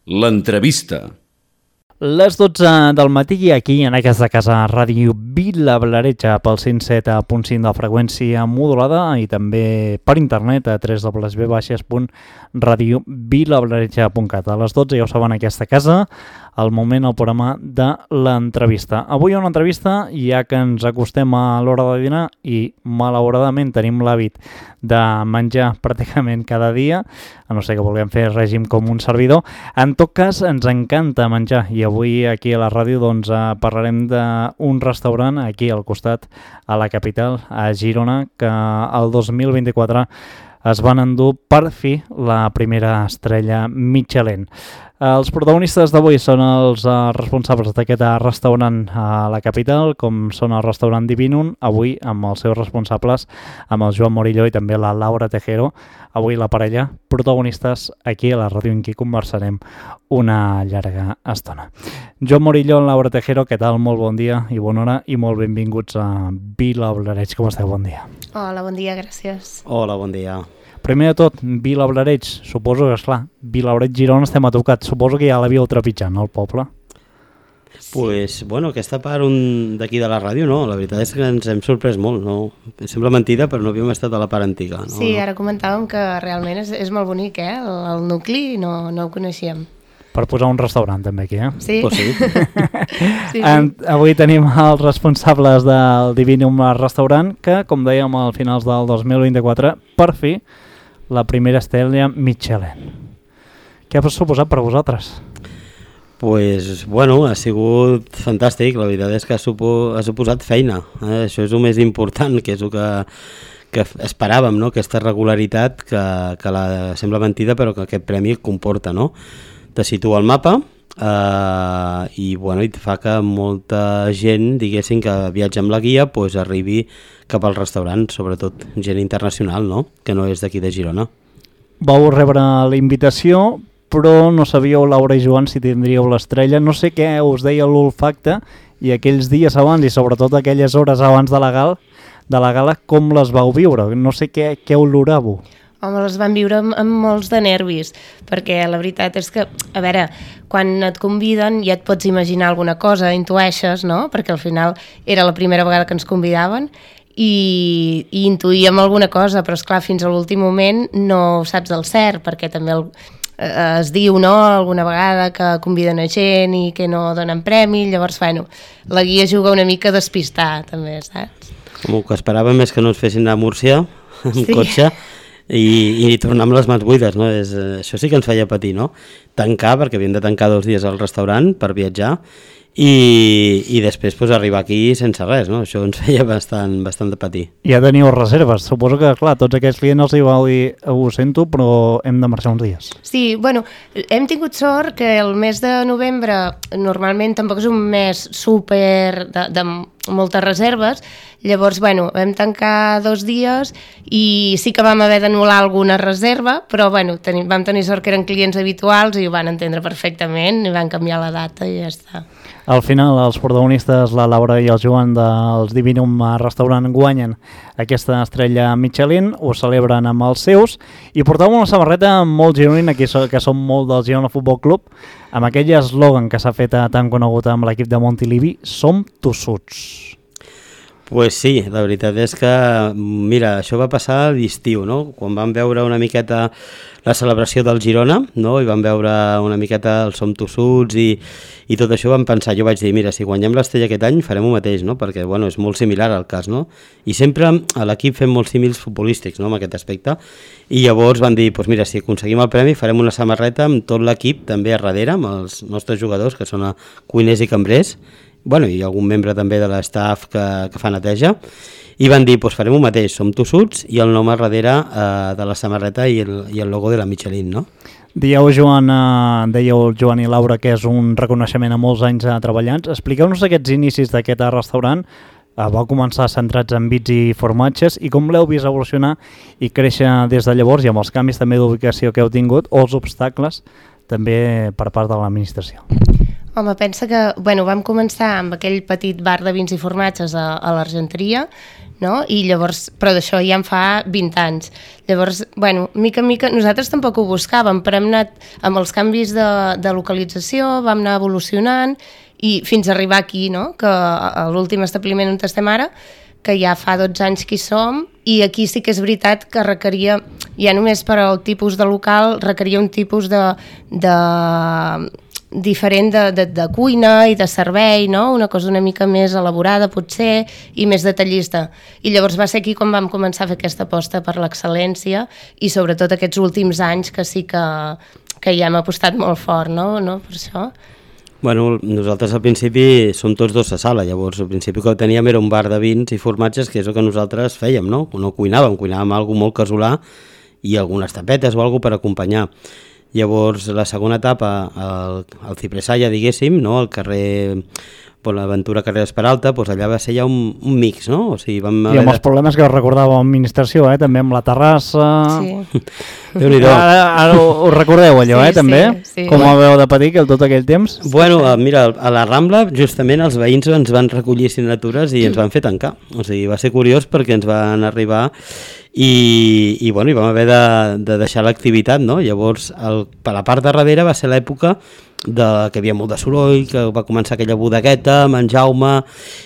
L'entrevista. Les 12 del matí aquí en aquesta casa Ràdio Vilablareix pel 107.5 de freqüència modulada i també per internet a www.radiovilablareix.cat. A les 12 ja ho saben aquesta casa, al moment el programa de l'entrevista. Avui hi ha una entrevista ja que ens acostem a l'hora de dinar i malauradament tenim l'hàbit de menjar pràcticament cada dia, a no ser que vulguem fer règim com un servidor. En tot cas, ens encanta menjar i avui aquí a la ràdio doncs, parlarem d'un restaurant aquí al costat, a la capital, a Girona, que el 2024 es van endur per fi la primera estrella Michelin. Els protagonistes d'avui són els responsables d'aquest restaurant a la capital, com són el restaurant Divinum, avui amb els seus responsables, amb el Joan Morillo i també la Laura Tejero. Avui la parella, protagonistes aquí a la ràdio en qui conversarem una llarga estona. Joan Morillo, Laura Tejero, què tal? Molt bon dia i bona hora i molt benvinguts a Vilablareix. Com esteu? Bon dia. Hola, bon dia, gràcies. Hola, bon dia. Primer de tot, Vilablareix, suposo que, esclar, Vilablareix, Girona estem a tocat. Suposo que ja l'havíeu trepitjant, no, el poble? Pues, bueno, aquesta part d'aquí de la ràdio, no, la veritat és que ens hem sorprès molt, no? Sembla mentida, però no havíem estat a la part antiga. No? Sí, ara comentàvem que realment és molt bonic, el nucli, no ho coneixíem. Per posar un restaurant també aquí, Sí. Pues sí. Sí. Avui tenim els responsables del Divinum Restaurant, que, com dèiem, al finals del 2024, per fi, la primera estrella Michelin. Què ha suposat per vosaltres? Pues, bueno, ha sigut fantàstic, la veritat és que ha suposat feina, això és el més important, que és el que esperàvem, no? Aquesta regularitat que sembla mentida però que aquest premi comporta, no? Te situa al mapa i, bueno, i fa que molta gent, diguéssim, que viatja amb la guia, pues, arribi cap al restaurant, sobretot gent internacional, no? Que no és d'aquí de Girona. Vau rebre la invitació, però no sabíeu, Laura i Joan, si tindríeu l'estrella. No sé què us deia l'olfacte i aquells dies abans i sobretot aquelles hores abans de la gala, com les vau viure? No sé què oloràveu. Home, les van viure amb molts de nervis, perquè la veritat és que, a veure, quan et conviden ja et pots imaginar alguna cosa, intueixes, no? Perquè al final era la primera vegada que ens convidaven i intuïem alguna cosa, però esclar, fins a l'últim moment no ho saps del cert, perquè també es diu, no?, alguna vegada que conviden a gent i que no donen premi, llavors, bueno, la guia juga una mica a despistar, també, saps? Com que esperàvem és que no ens fessin anar a Múrcia amb cotxe i tornar amb les mans buides, no? Això sí que ens feia patir, no? Tancar, perquè havíem de tancar 2 dies al restaurant per viatjar i després pues, arribar aquí sense res, no? Això ens feia bastant de patir. Ja teníeu reserves, suposo que, clar, tots aquests clients els hi vau dir, ho sento, però hem de marxar uns dies. Sí, bueno, hem tingut sort que el mes de novembre normalment tampoc és un mes súper de moltes reserves, llavors, bueno, vam tancar 2 dies i sí que vam haver d'anul·lar alguna reserva, però, bueno, vam tenir sort que eren clients habituals i ho van entendre perfectament i van canviar la data i ja està. Al final, els protagonistes, la Laura i el Joan dels Divinum Restaurant guanyen aquesta estrella Michelin, ho celebren amb els seus i portàvem una samarreta molt gironina, que som molt del Girona Futbol Club, amb aquell eslògan que s'ha fet tan conegut amb l'equip de Montilivi, som tossuts. Pues sí, la veritat és que, mira, això va passar a l'estiu, no? Quan vam veure una miqueta la celebració del Girona, no? I vam veure una miqueta el Som Tossuts i tot això vam pensar, jo vaig dir, mira, si guanyem l'estrella aquest any farem ho mateix, no? Perquè, bueno, és molt similar al cas, no? I sempre a l'equip fem molts símils futbolístics, no?, en aquest aspecte, i llavors van dir, pues mira, si aconseguim el premi farem una samarreta amb tot l'equip també a darrere, amb els nostres jugadors, que són cuiners i cambrers, bueno, i algun membre també de l'estaf que fa neteja, i van dir, doncs farem ho mateix, som tossuts, i el nom a darrere de la samarreta i el logo de la Michelin, no? Dèieu, Joan i Laura, que és un reconeixement a molts anys treballants. Expliqueu-nos aquests inicis d'aquest restaurant. Va començar centrats en bits i formatges, i com l'heu vist evolucionar i créixer des de llavors, i amb els canvis també d'ubicació que heu tingut, o els obstacles també per part de l'administració. Home, pensa que, bueno, vam començar amb aquell petit bar de vins i formatges a l'Argenteria, no? I llavors, però d'això ja en fa 20 anys. Llavors, bueno, mica en mica, nosaltres tampoc ho buscàvem, però hem anat amb els canvis de localització, vam anar evolucionant i fins a arribar aquí, no? Que a l'últim establiment on estem ara, que ja fa 12 anys que hi som, i aquí sí que és veritat que requeria, ja només per al tipus de local, requeria un tipus diferent de cuina i de servei, no? Una cosa una mica més elaborada potser i més detallista. I llavors va ser aquí quan vam començar a fer aquesta aposta per l'excel·lència i sobretot aquests últims anys que sí que ja hem apostat molt fort, no? Per això. Bueno, nosaltres al principi som tots dos a sala, llavors al principi que teníem era un bar de vins i formatges, que és el que nosaltres fèiem, no? No cuinàvem alguna molt casolà i algunes tapetes o alguna per acompanyar. Llavors, la segona etapa, al Cipresalla, diguéssim, no? Al carrer Bonaventura, carrer Esperalta, doncs allà va ser ja un mix, no? O sigui, I amb els problemes que recordava l'administració, també amb la terrassa... Sí. Déu-n'hi-do. Ara ho recordeu, allò, sí, també? Sí. Com ho veu de petit, tot aquell temps? Bueno, mira, a la Rambla, justament, els veïns ens van recollir signatures i ens van fer tancar. O sigui, va ser curiós perquè ens van arribar i bueno, i vam haver de deixar l'activitat, no? Llavors, per la part de darrere va ser l'època que hi havia molt de soroll, que va començar aquella bodegueta amb en Jaume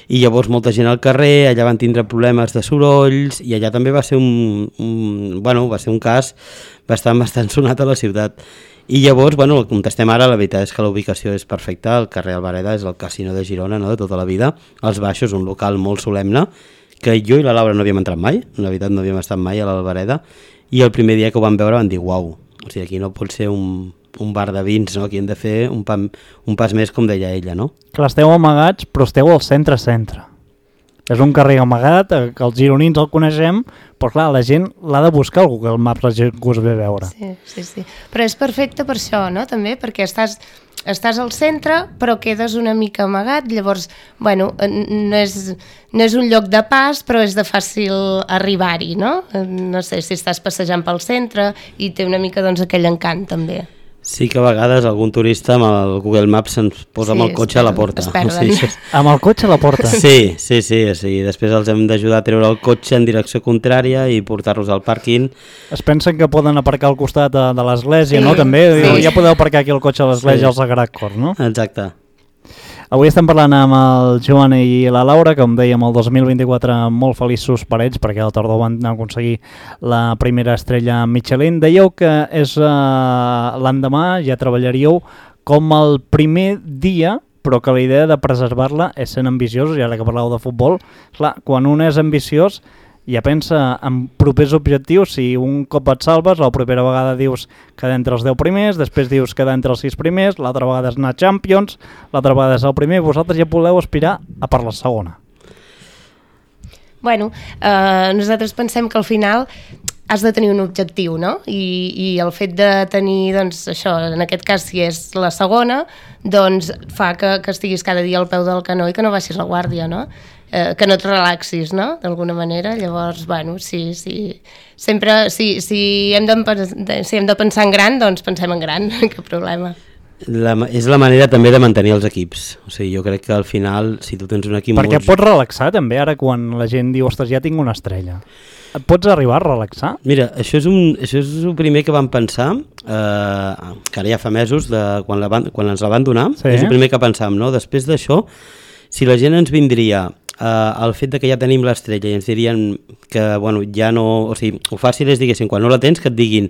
i llavors molta gent al carrer, allà van tindre problemes de sorolls i allà també va ser va ser un cas bastant sonat a la ciutat. I llavors, bueno, el contestem ara, la veritat és que la ubicació és perfecta, el carrer Albareda és el casino de Girona, no?, de tota la vida, als baixos, un local molt solemne, que jo i la Laura no havíem entrat mai, la veritat no havíem estat mai a l'Albareda, i el primer dia que ho vam veure van dir, uau, o sigui, aquí no pot ser un bar de vins, no? Aquí hem de fer un pas més, com deia ella, no? Clar, esteu amagats, però esteu al centre-centre. És un carrer amagat, que els gironins el coneixem, però clar, la gent l'ha de buscar al Google Maps, la gent que us ve a veure. Sí. Però és perfecte per això, no?, també, perquè estàs al centre, però quedes una mica amagat, llavors, bueno, no és un lloc de pas, però és de fàcil arribar-hi, no? No sé, si estàs passejant pel centre i té una mica, doncs, aquell encant, també. Sí que a vegades algun turista amb el Google Maps ens posa amb el cotxe a la porta. Es perden. Sí. Amb el cotxe a la porta? Sí. Després els hem d'ajudar a treure el cotxe en direcció contrària i portar-los al pàrquing. Es pensen que poden aparcar al costat de l'església, sí, no? També sí. Ja podeu aparcar aquí el cotxe a l'església al Sagrat Cor, no? Exacte. Avui estem parlant amb el Joan i la Laura, que com dèiem, el 2024 molt feliços per ells, perquè al tardor van aconseguir la primera estrella Michelin. Dèieu que és l'endemà, ja treballaríeu com el primer dia, però que la idea de preservar-la és sent ambiciosos, i ara que parleu de futbol, clar, quan un és ambiciós ja pensa en propers objectius. Si un cop et salves, la propera vegada dius quedar entre els 10 primers, després dius quedar entre els 6 primers, l'altra vegada és anar a Champions, l'altra vegada és el primer, vosaltres ja podeu aspirar a per la segona. Bueno, nosaltres pensem que al final has de tenir un objectiu, no? I el fet de tenir, doncs, això, en aquest cas, si és la segona, doncs fa que estiguis cada dia al peu del canó i que no baixis la guàrdia, no? Que no et relaxis, no?, d'alguna manera. Llavors, bueno, sí. Sempre, si hem de pensar en gran, doncs pensem en gran, cap problema. És la manera també de mantenir els equips. O sigui, jo crec que al final, si tu tens un equip... Perquè pots relaxar també, ara quan la gent diu, ostres, ja tinc una estrella. Et pots arribar a relaxar? Mira, això és el primer que vam pensar, que ara ja fa mesos, quan ens la van donar, sí. És el primer que pensàvem, no? Després d'això, si la gent ens vindria el fet de que ja tenim l'estrella i ens dirien que, bueno, ja no... O sigui, ho fàcil és, diguéssim, quan no la tens, que et diguin,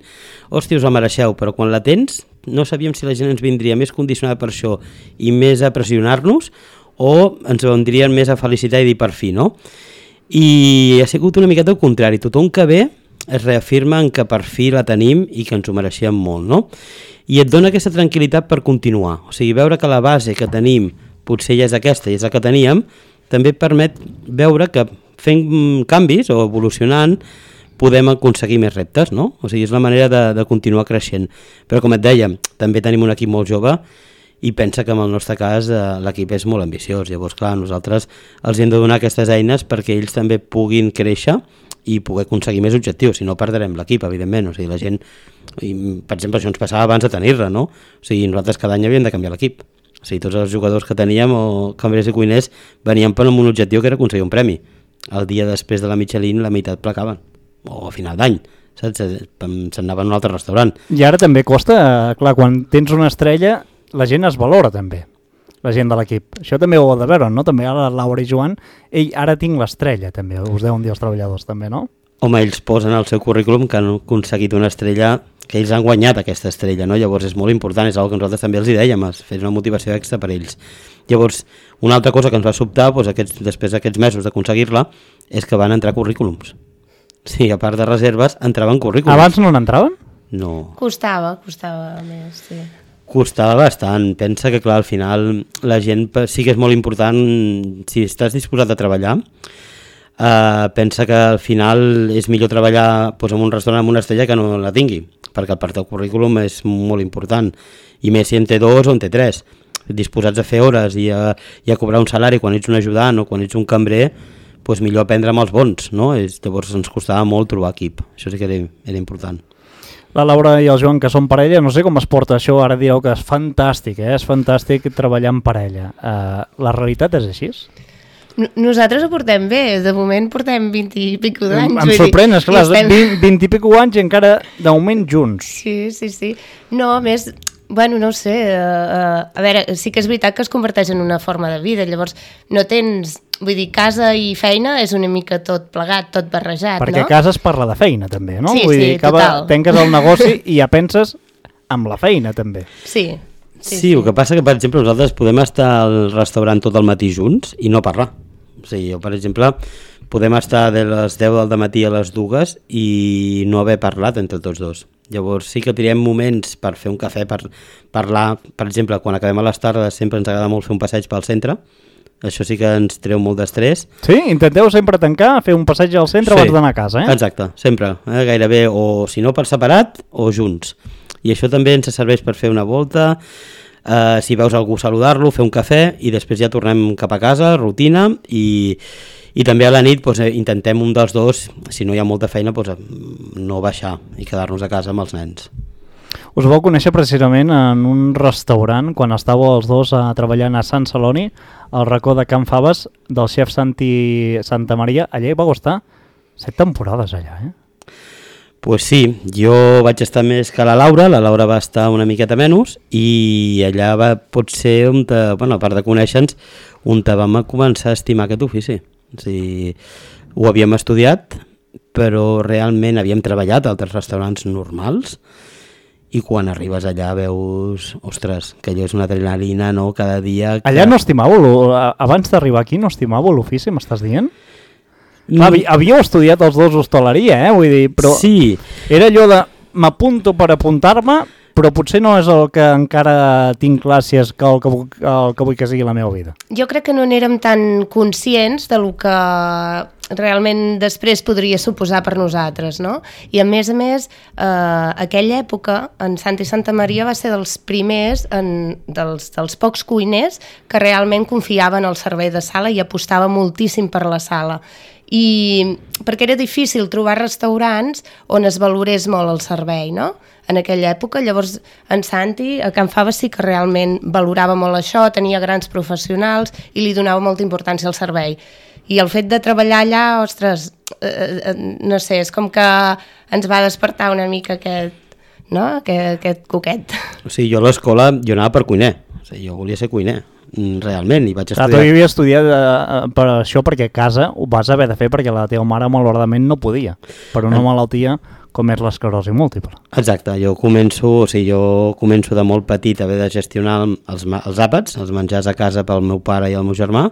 hòstia, us la mereixeu, però quan la tens no sabíem si la gent ens vindria més condicionada per això i més a pressionar-nos, o ens vendrien més a felicitar i dir per fi, no? I ha sigut una miqueta el contrari. Tothom que ve es reafirma en que per fi la tenim i que ens ho mereixem molt, no? I et dona aquesta tranquil·litat per continuar. O sigui, veure que la base que tenim potser ja és aquesta i és la que teníem, també permet veure que fent canvis o evolucionant podem aconseguir més reptes, no? O sigui, és la manera de continuar creixent. Però com et deia, també tenim un equip molt jove i pensa que en el nostre cas l'equip és molt ambiciós. Llavors, clar, nosaltres els hem de donar aquestes eines perquè ells també puguin créixer i poder aconseguir més objectius, si no perdrem l'equip, evidentment. O sigui, la gent, per exemple, això ens passava abans de tenir-la, no? O sigui, nosaltres cada any havíem de canviar l'equip. O sigui, tots els jugadors que teníem, o cambrers i cuiners, venien per un objectiu que era aconseguir un premi. el dia després de la Michelin la meitat placaven, o a final d'any, saps? Se'n anaven a un altre restaurant. I ara també costa, clar, quan tens una estrella, la gent es valora també, la gent de l'equip. Això també ho heu de veure, no? També ara Laura i Joan, ara tinc l'estrella també, us deuen dir els treballadors també, no? Home, ells posen al seu currículum que han aconseguit una estrella, que ells han guanyat aquesta estrella, no? Llavors és molt important, és una que nosaltres també els hi dèiem, fer una motivació extra per ells. Llavors, una altra cosa que ens va sobtar, doncs, després d'aquests mesos d'aconseguir-la, és que van entrar currículums. Sí, a part de reserves, entraven currículums. Abans no n'entraven? No. Costava més, sí. Costava bastant. Pensa que, clar, al final la gent sí que és molt important, si estàs disposat a treballar, pensa que al final és millor treballar doncs, en un restaurant amb una estrella que no la tingui, perquè el part del currículum és molt important, i més si en té 2 o en té 3. Disposats a fer hores i a cobrar un salari quan ets un ajudant o quan ets un cambrer, doncs millor aprendre amb els bons, no? Llavors ens costava molt trobar equip, això sí que era important. La Laura i el Joan, que són parella, no sé com es porta això, ara direu que és fantàstic, és fantàstic treballar en parella. La realitat és així? Nosaltres ho portem bé, de moment portem 20 i pico d'anys. Em sorprèn, esclar, 20 i pico anys i encara de moment junts. Sí. No, més, bueno, no ho sé, a veure, sí que és veritat que es converteix en una forma de vida, llavors no tens, vull dir, casa i feina és una mica tot plegat, tot barrejat, no? Perquè a casa es parla de feina també, no? Sí, vull dir, total. Tanques el negoci i ja penses amb la feina també. Sí, el que passa que, per exemple, nosaltres podem estar al restaurant tot el matí junts i no parlar. O sigui, jo, per exemple, podem estar de les 10 del matí a les 2 i no haver parlat entre tots dos. Llavors sí que tirem moments per fer un cafè, per parlar. Per exemple, quan acabem a les tardes sempre ens agrada molt fer un passeig pel centre. Això sí que ens treu molt d'estrès. Sí? Intenteu sempre tancar, fer un passeig al centre abans d'anar a casa, eh? Exacte, sempre. Gairebé, o si no per separat o junts. I això també ens serveix per fer una volta, si veus algú saludar-lo, fer un cafè i després ja tornem cap a casa, rutina, i també a la nit doncs, intentem un dels dos, si no hi ha molta feina, doncs, no baixar i quedar-nos a casa amb els nens. Us vau conèixer precisament en un restaurant quan estàveu els dos treballant a Sant Celoni, al racó de Can Faves, del xef Santi Santamaria. Allà hi vau estar 7 temporades allà, eh? Pues sí, jo vaig estar més que la Laura va estar una miqueta menys i allà va potser, a part de conèixer-nos, on vam començar a estimar aquest ofici. O sigui, ho havíem estudiat, però realment havíem treballat a altres restaurants normals i quan arribes allà veus, ostres, que allò és una adrenalina, no?, cada dia... Allà no estimàveu, abans d'arribar aquí no estimàveu l'ofici, m'estàs dient? Havíeu estudiat els dos hostaleria, vull dir, però sí. Era allò de m'apunto per apuntar-me, però potser no és el que encara tinc clar si és el que vull que sigui la meva vida. Jo crec que no n'érem tan conscients de lo que realment després podria suposar per nosaltres, no? I a més, aquella època, en Santi Santamaria va ser dels primers, dels pocs cuiners que realment confiaven al servei de sala i apostava moltíssim per la sala. I perquè era difícil trobar restaurants on es valorés molt el servei, no?, en aquella època. Llavors en Santi a Can Faves sí que realment valorava molt això, tenia grans professionals i li donava molta importància al servei. I el fet de treballar allà, ostres, no sé, és com que ens va despertar una mica aquest coquet. O sigui, jo a l'escola anava per cuiner, o sigui, jo volia ser cuiner, realment, i vaig estudiar... Tu havies estudiat per això perquè a casa ho vas haver de fer perquè la teva mare malauradament no podia, per una malaltia com és l'esclerosi múltiple. Exacte, jo començo de molt petit a haver de gestionar els àpats, els menjars a casa pel meu pare i el meu germà,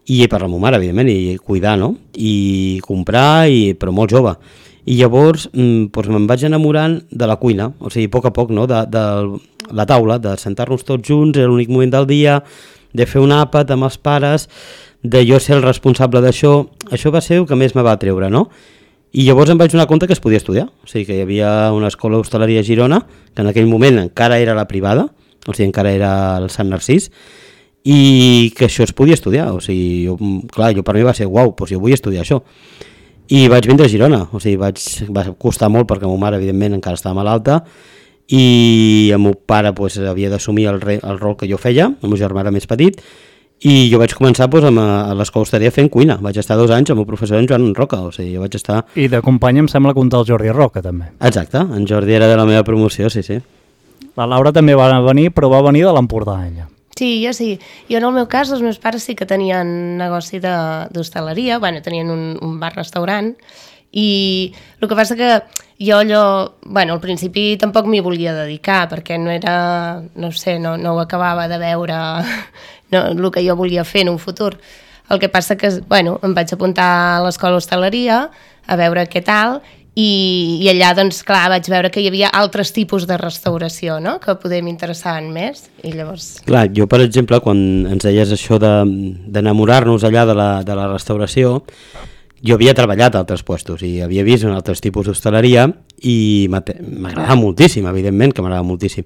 i per la meva mare, evidentment, i cuidar, no?, i comprar, però molt jove. I llavors me'n vaig enamorant de la cuina, o sigui, a poc, no?, de la taula, de sentar-nos tots junts, era l'únic moment del dia, de fer un àpat amb els pares, de jo ser el responsable d'això. Això va ser el que més me va treure, no? I llavors em vaig donar compte que es podia estudiar, o sigui que hi havia una escola d'hostaleria a Girona, que en aquell moment encara era la privada, o sigui, encara era el Sant Narcís, i que això es podia estudiar, o sigui, jo per mi va ser uau, doncs jo vull estudiar això. I vaig vindre a Girona, o sigui, va costar molt perquè la meva mare, evidentment, encara estava malalta, i el meu pare havia d'assumir el rol que jo feia, el meu germà era més petit, I jo vaig començar a l'escola hostaleria fent cuina. Vaig estar 2 anys amb el professor en Joan Roca, o sigui, jo vaig estar... I de company em sembla que un tal Jordi Roca, també. Exacte, en Jordi era de la meva promoció, sí. La Laura també va venir, però va venir de l'Empordà, ella. Sí, jo sí. Jo en el meu cas, els meus pares sí que tenien negoci d'hostaleria, bueno, tenien un bar-restaurant, i el que passa que jo al principi tampoc m'hi volia dedicar, perquè no era, no sé, no ho acabava de veure el que jo volia fer en un futur. El que passa que, em vaig apuntar a l'escola hostaleria a veure què tal, i allà, doncs, clar, vaig veure que hi havia altres tipus de restauració, no?, que poder m'interessaven més, i llavors... Clar, jo, per exemple, quan ens deies això d'enamorar-nos allà de la restauració, jo havia treballat a altres puestos i havia vist en altres tipus d'hostaleria i m'agradava moltíssim, evidentment que m'agradava moltíssim.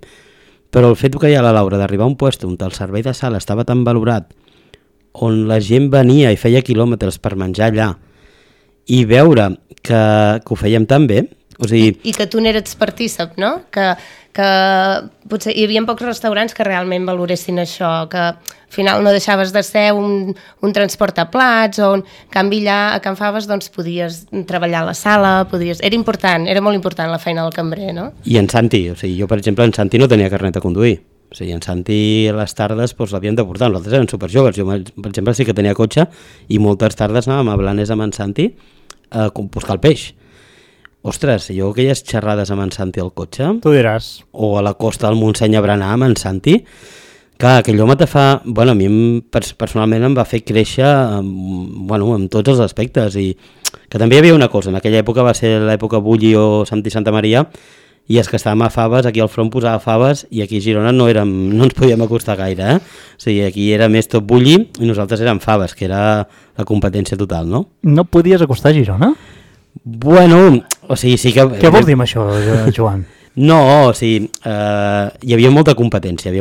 Però el fet que hi ha la Laura d'arribar a un puesto on el servei de sala estava tan valorat, on la gent venia i feia quilòmetres per menjar allà, i veure que ho fèiem tan bé, o sigui... I que tu n'eres partícip, no? Que potser hi havia pocs restaurants que realment valoressin això, que al final no deixaves de ser un transport a plats, o en canvi allà a Can Faves doncs podies treballar a la sala, era important, era molt important la feina del cambrer, no? I en Santi, o sigui, jo per exemple en Santi no tenia carnet de conduir, o sigui, en Santi a les tardes l'havíem de portar, nosaltres eren superjoves, jo per exemple sí que tenia cotxe i moltes tardes anàvem a Blanes amb en Santi a buscar el peix. Ostres, jo aquelles xerrades amb en Santi al cotxe... Tu diràs. O a la costa del Montseny a berenar amb en Santi, clar, aquell home te fa... Bueno, a mi personalment em va fer créixer en tots els aspectes, i que també hi havia una cosa, en aquella època va ser l'època Bulli o Santi Santa Maria, i és que estàvem a Faves, aquí al front posava Faves, i aquí a Girona no ens podíem acostar gaire, O sigui, aquí era més tot Bulli i nosaltres érem Faves, que era la competència total, no? No podies acostar a Girona? Bueno, o sigui, sí que... Què vols dir amb això, Joan? No, o sigui, hi havia molta competència,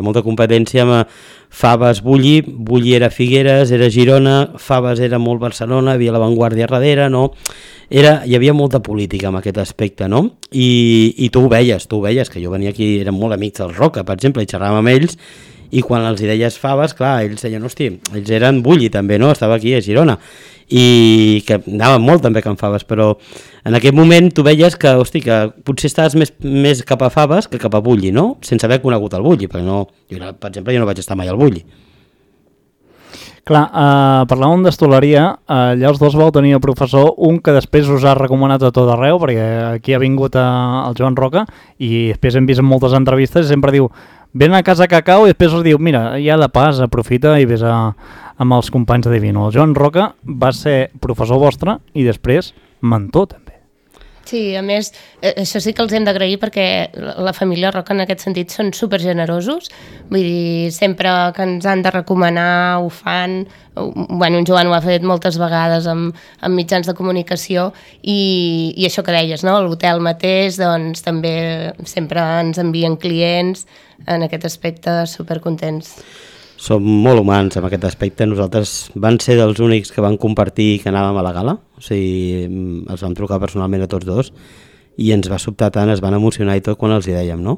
amb Faves, Bulli era Figueres, era Girona, Faves era molt Barcelona, hi havia la Vanguardia darrere, no? Hi havia molta política en aquest aspecte, no? I tu ho veies, que jo venia aquí, érem molt amics del Roca, per exemple, i xerràvem amb ells, i quan els deies Faves, clar, ells deien, hosti, ells eren Bulli també, no? Estava aquí a Girona, i que anaven molt també a Can Faves, però en aquest moment tu veies que, hosti, que potser estaves més cap a Faves que cap a Bulli, no? Sense haver conegut el Bulli, perquè no, per exemple, jo no vaig estar mai al Bulli. Clar, parlàvem d'hostaleria, allà els dos vau tenir el professor, un que després us ha recomanat a tot arreu, perquè aquí ha vingut el Joan Roca, i després hem vist en moltes entrevistes, i sempre diu, ven a casa Cacau, i després us diu, mira, ja de pas, aprofita i ves amb els companys de Divino. El Joan Roca va ser professor vostre i després mentor, també. Sí, a més, això sí que els hem d'agrair perquè la família Roca en aquest sentit són supergenerosos, vull dir, sempre que ens han de recomanar ho fan, bueno, en Joan ho ha fet moltes vegades amb mitjans de comunicació i això que deies, no? L'hotel mateix, doncs també sempre ens envien clients, en aquest aspecte supercontents. Som molt humans en aquest aspecte. Nosaltres van ser dels únics que van compartir que anàvem a la gala, o sigui, els vam trucar personalment a tots dos i ens va sobtar tant, es van emocionar i tot quan els hi dèiem, no?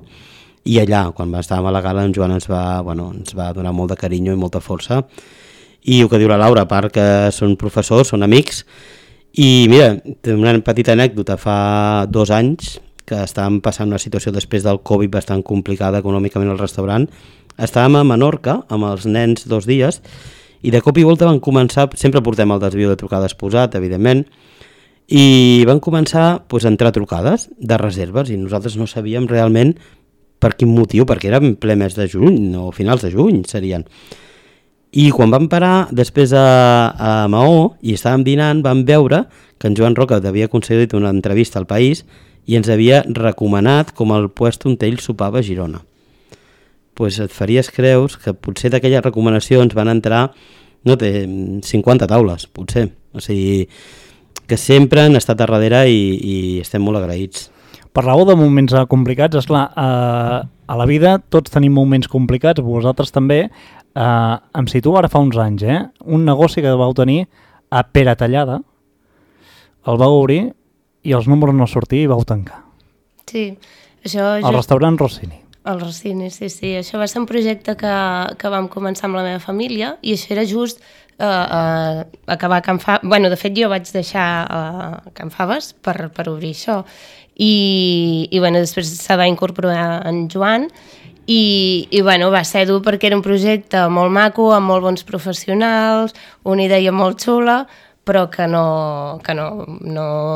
I allà, quan estàvem a la gala, en Joan ens va donar molt de carinyo i molta força. I el que diu la Laura, a part que són professors, són amics, i mira, una petita anècdota, fa 2 anys que estàvem passant una situació després del Covid bastant complicada econòmicament al restaurant. Estàvem a Menorca amb els nens 2 dies i de cop i volta van començar, sempre portem el desvio de trucades posat, evidentment, i van començar a entrar trucades de reserves i nosaltres no sabíem realment per quin motiu, perquè era en ple mes de juny o finals de juny serien. I quan vam parar després a Maó i estàvem dinant, vam veure que en Joan Roca havia concedit una entrevista al País i ens havia recomanat com el puesto on ell sopava a Girona. Pues et faries creus que potser d'aquelles recomanacions van entrar, no té 50 taules, potser. O sigui, que sempre han estat a darrere i estem molt agraïts. Parlàveu de moments complicats, esclar, a la vida tots tenim moments complicats, vosaltres també. Em situo ara fa uns anys, un negoci que vau tenir a Pere Tallada, el vau obrir i els números no sortir i vau tancar. Sí, això... El restaurant Rossini. El Rossini, sí. Això va ser un projecte que vam començar amb la meva família i això era just acabar Can Faves. Bueno, de fet, jo vaig deixar Can Faves per obrir això. I bueno, després se va incorporar en Joan i bueno, va ser dur perquè era un projecte molt maco, amb molt bons professionals, una idea molt xula, però que no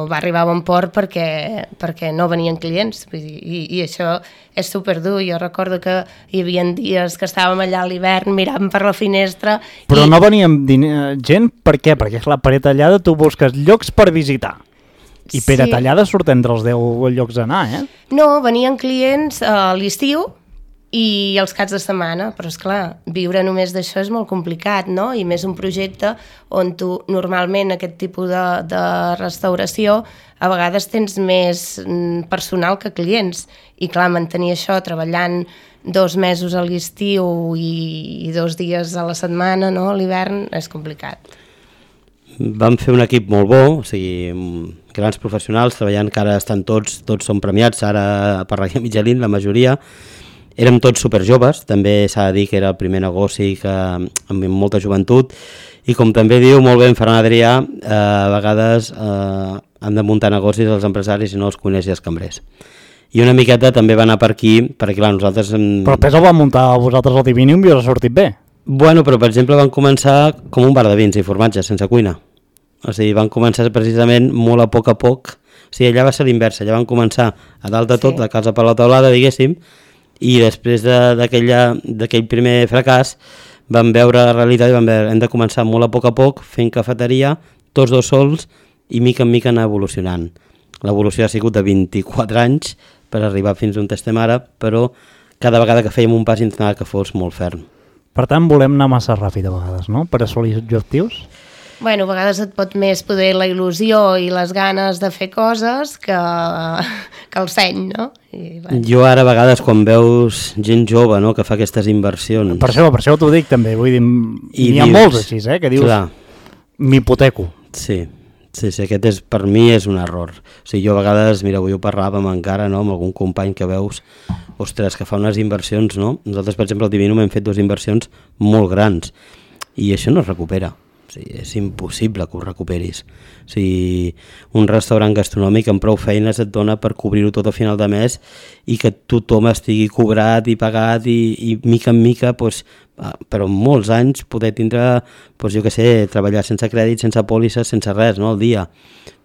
va arribar a bon port perquè no venien clients. I això és superdur. Jo recordo que hi havia dies que estàvem allà a l'hivern mirant per la finestra. Però no veníem gent, per què? Perquè és la paret tallada, tu busques llocs per visitar. I per a tallada surt entre els 10 llocs a anar, eh? No, venien clients a l'estiu i els caps de setmana, però esclar, viure només d'això és molt complicat, no? I més un projecte on tu normalment aquest tipus de restauració a vegades tens més personal que clients i clar, mantenir això treballant 2 mesos a l'estiu i 2 dies a la setmana, no? A l'hivern és complicat. Vam fer un equip molt bo, o sigui, grans professionals treballant, que ara estan tots són premiats, ara per la Guia Michelin, la majoria. Érem tots superjoves, també s'ha de dir que era el primer negoci amb molta joventut, i com també diu molt bé en Ferran Adrià, a vegades han de muntar negocis els empresaris i no els cuiners i els cambrers. I una miqueta també va anar per aquí, perquè clar, nosaltres... Però després el van muntar vosaltres al Divinium i us ha sortit bé. Bueno, però per exemple van començar com un bar de vins i formatges, sense cuina. O sigui, van començar precisament molt a poc, o sigui, allà va ser l'inversa, allà van començar a dalt de tot, de casa per la taulada, diguéssim, i després d'aquell primer fracàs vam veure la realitat i vam veure, hem de començar molt a poc fent cafeteria, tots dos sols, i mica en mica anar evolucionant. L'evolució ha sigut de 24 anys per arribar fins on estem ara, però cada vegada que fèiem un pas intentava que fos molt ferm. Per tant, volem anar massa ràpid a vegades, no?, per assolir objectius. Bueno, a vegades et pot més poder la il·lusió i les ganes de fer coses que el seny, no? I, bueno. Jo ara a vegades quan veus gent jove, no?, que fa aquestes inversions... Per això t'ho dic també, vull dir, n'hi ha molts així, que dius, m'hipoteco. Sí, aquest per mi és un error. O sigui, jo a vegades, mira, avui ho parlàvem encara, no?, amb algun company que veus, ostres, que fa unes inversions, no? Nosaltres, per exemple, al Divinum hem fet 2 inversions molt grans i això no es recupera. O sigui, és impossible que ho recuperis. O sigui, un restaurant gastronòmic amb prou feines et dona per cobrir-ho tot a final de mes i que tothom estigui cobrat i pagat i mica en mica, doncs, però en molts anys poder tindre, doncs, jo què sé, treballar sense crèdit, sense pòlisses, sense res, no?, al dia.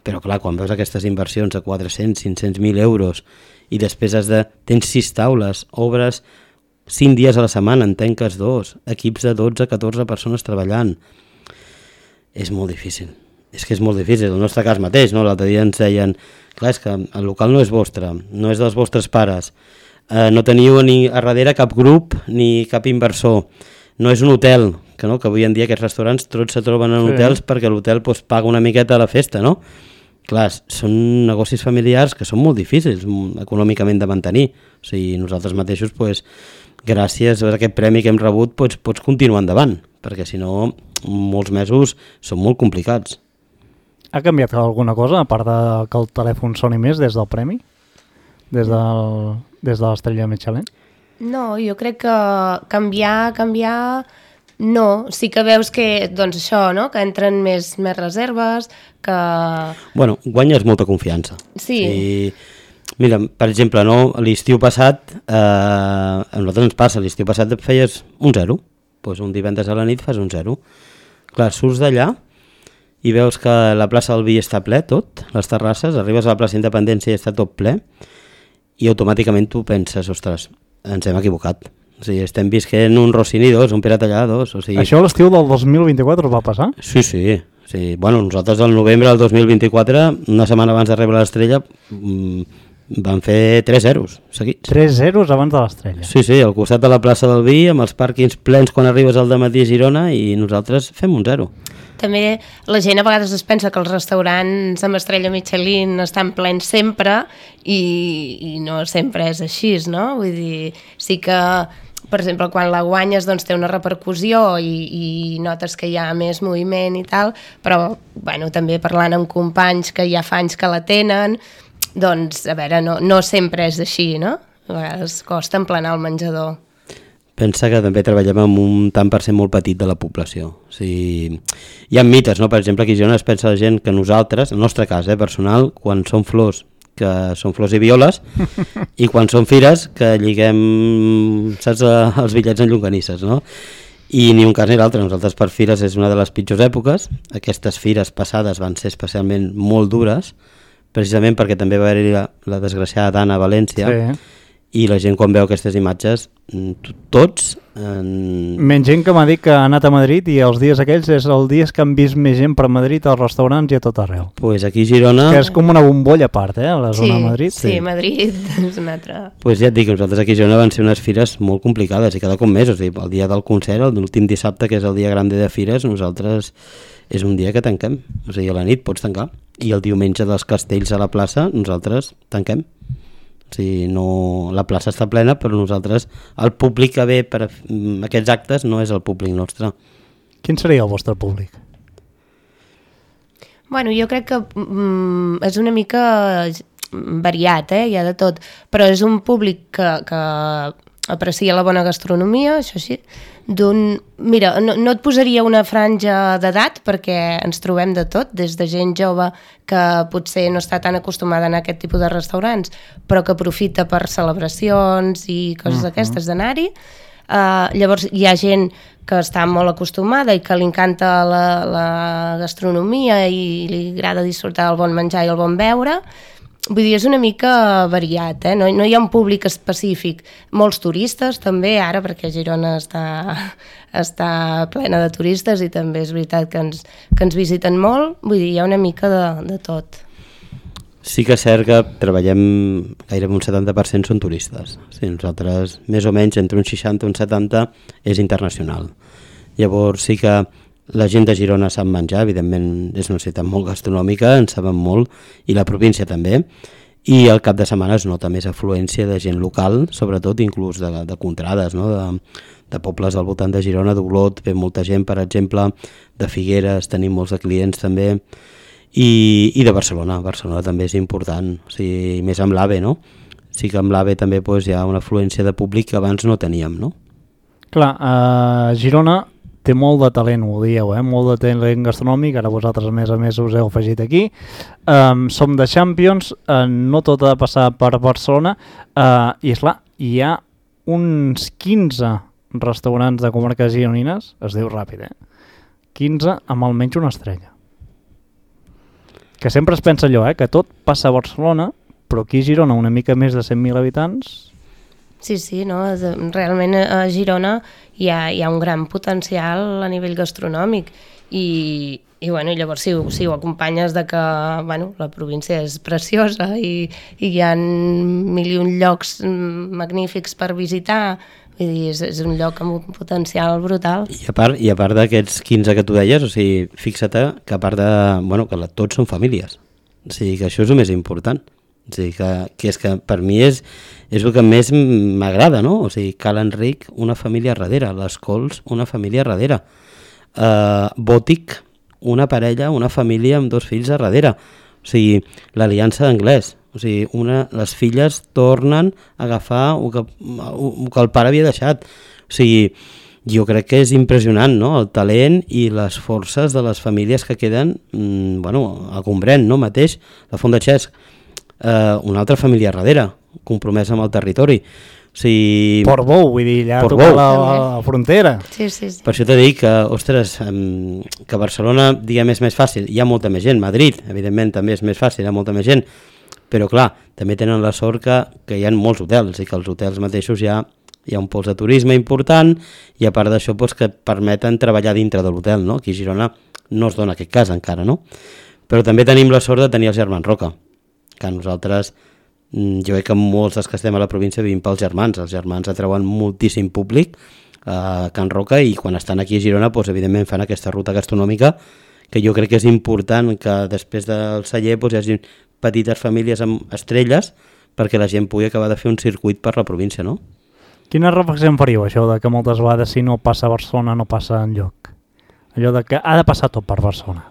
Però clar, quan veus aquestes inversions de 400, 500.000 euros i després tens 6 taules, obres 5 dies a la setmana, en tanques 2, equips de 12, 14 persones treballant, és molt difícil. És que és molt difícil. El nostre cas mateix, no? L'altre dia ens deien, clar, és que el local no és vostre, no és dels vostres pares, no teniu ni a darrere cap grup ni cap inversor, no és un hotel, que avui en dia aquests restaurants tots se troben en hotels perquè l'hotel paga una miqueta a la festa, no? Clar, són negocis familiars que són molt difícils econòmicament de mantenir. O sigui, nosaltres mateixos, gràcies a aquest premi que hem rebut, pots continuar endavant, perquè si no, molts mesos són molt complicats. Ha canviat alguna cosa, a part de que el telèfon soni més des del premi? Des de l'estrella Michelin? No, jo crec que canviar, no. Sí que veus que, doncs això, no?, que entren més reserves, que... Bueno, guanyes molta confiança. Sí. Mira, per exemple, no, l'estiu passat, a nosaltres ens passa, l'estiu passat feies un 0, doncs un divendres a la nit fas un 0. Clar, surts d'allà i veus que la plaça del Vi està ple, tot, les terrasses, arribes a la plaça Independència i està tot ple, i automàticament tu penses, ostres, ens hem equivocat. O sigui, estem visquent un Rossini 2, un Pirata allà 2. O sigui... Això a l'estiu del 2024 va passar? Sí. Bueno, nosaltres al novembre del 2024, una setmana abans de rebre l'estrella, van fer 3 zeros seguits. 3 zeros abans de l'estrella? Sí, al costat de la plaça del Vi, amb els pàrquings plens quan arribes al dematí a Girona, i nosaltres fem un 0. També la gent a vegades es pensa que els restaurants amb estrella Michelin estan plens sempre i no sempre és així, no? Vull dir, sí que, per exemple, quan la guanyes doncs té una repercussió i notes que hi ha més moviment i tal, però bueno, també parlant amb companys que ja fa anys que la tenen, doncs, a veure, no sempre és així, no? A vegades costa emplenar el menjador. Pensa que també treballem amb un tant per cent molt petit de la població. O sigui, hi ha mites, no? Per exemple, aquí a Girona es pensa la gent que nosaltres, en el nostre cas personal, quan són flors, que són flors i violes, i quan són fires, que lliguem, saps, els bitllets en llonganisses, no? I ni un cas ni l'altre. Nosaltres per fires és una de les pitjors èpoques. Aquestes fires passades van ser especialment molt dures, precisament perquè també va haver-hi la desgraciada d'Anna a València, sí. I la gent quan veu aquestes imatges, tots... Menys gent que m'ha dit que ha anat a Madrid i els dies aquells és el dies que han vist més gent per Madrid als restaurants i a tot arreu. Pues aquí a Girona... Que és com una bombolla a part, la zona de Madrid. Sí, Madrid és una altra... Pues ja et dic, nosaltres aquí a Girona van ser unes fires molt complicades i cada cop més, o sigui, el dia del concert, l'últim dissabte, que és el dia grande de fires, nosaltres és un dia que tanquem, o sigui, a la nit pots tancar, i el diumenge dels castells a la plaça nosaltres tanquem. O sigui, no, la plaça està plena, però nosaltres, el públic que ve per aquests actes no és el públic nostre. Quin seria el vostre públic? Bueno, jo crec que és una mica variat, hi ha de tot, però és un públic que aprecia la bona gastronomia, això sí. Mira, no et posaria una franja d'edat perquè ens trobem de tot, des de gent jove que potser no està tan acostumada a anar a aquest tipus de restaurants, però que aprofita per celebracions i coses d'aquestes d'anar-hi. Llavors hi ha gent que està molt acostumada i que li encanta la gastronomia i li agrada disfrutar del bon menjar i el bon beure. Vull dir, és una mica variat, no hi ha un públic específic. Molts turistes també, ara, perquè Girona està plena de turistes i també és veritat que ens visiten molt. Vull dir, hi ha una mica de tot. Sí que és cert que treballem gairebé un 70% són turistes. Sí, nosaltres, més o menys, entre un 60 i un 70 és internacional. Llavors sí que la gent de Girona sap menjar, evidentment és una ciutat molt gastronòmica, en saben molt, i la província també, i al cap de setmana es nota més afluència de gent local, sobretot inclús de contrades, no? de pobles al voltant de Girona, d'Olot, ve molta gent, per exemple, de Figueres, tenim molts de clients també, i de Barcelona. Barcelona també és important, o sigui, més amb l'AVE, no? Sí que amb l'AVE també doncs, hi ha una afluència de públic que abans no teníem, no? Clar, Girona té molt de talent, ho dieu, molt de talent gastronòmic, ara vosaltres a més us heu afegit aquí. Som de Champions, no tot ha de passar per Barcelona, i esclar, hi ha uns 15 restaurants de comarques gironines, es diu ràpid, 15 amb almenys una estrella. Que sempre es pensa allò, que tot passa a Barcelona, però aquí a Girona una mica més de 100.000 habitants... Sí, no? Realment a Girona hi ha un gran potencial a nivell gastronòmic i llavors si ho acompanyes de que la província és preciosa i hi ha mil i un llocs magnífics per visitar, vull dir, és un lloc amb un potencial brutal. I a part d'aquests 15 que tu deies, o sigui, fixa't que a part de... que tots són famílies, o sigui que això és el més important. O sigui, que és que per mi és el que més m'agrada, no? O sigui, Cal Enric, una família darrere, les Cols, una família darrere, Bòtic, una parella, una família amb 2 fills a darrere, o sigui, l'Aliança d'Anglès, o sigui, les filles tornen a agafar el que el pare havia deixat, o sigui, jo crec que és impressionant, no? El talent i les forces de les famílies que queden, a Gombrèn, no? Mateix, la Font de Xesc, una altra família darrere, compromesa amb el territori. O sigui, Portbou, vull dir, allà toca la frontera. Sí. Per això t'he dit que, ostres, que Barcelona, diguem, és més fàcil. Hi ha molta més gent. Madrid, evidentment, també és més fàcil, hi ha molta més gent. Però, clar, també tenen la sort que hi ha molts hotels i que els hotels mateixos hi ha un pols de turisme important i a part d'això doncs, que permeten treballar dintre de l'hotel, no? Aquí a Girona no es dona aquest cas encara, no? Però també tenim la sort de tenir els germans Roca, que nosaltres, jo crec que molts dels que estem a la província vivim pels germans. Els germans atreuen moltíssim públic a Can Roca i quan estan aquí a Girona, doncs, evidentment fan aquesta ruta gastronòmica que jo crec que és important que després del celler doncs, hi hagi petites famílies amb estrelles perquè la gent pugui acabar de fer un circuit per la província, no? Quina reflexió en faríeu, això de que moltes vegades si no passa a Barcelona no passa enlloc? Allò de que ha de passar tot per Barcelona.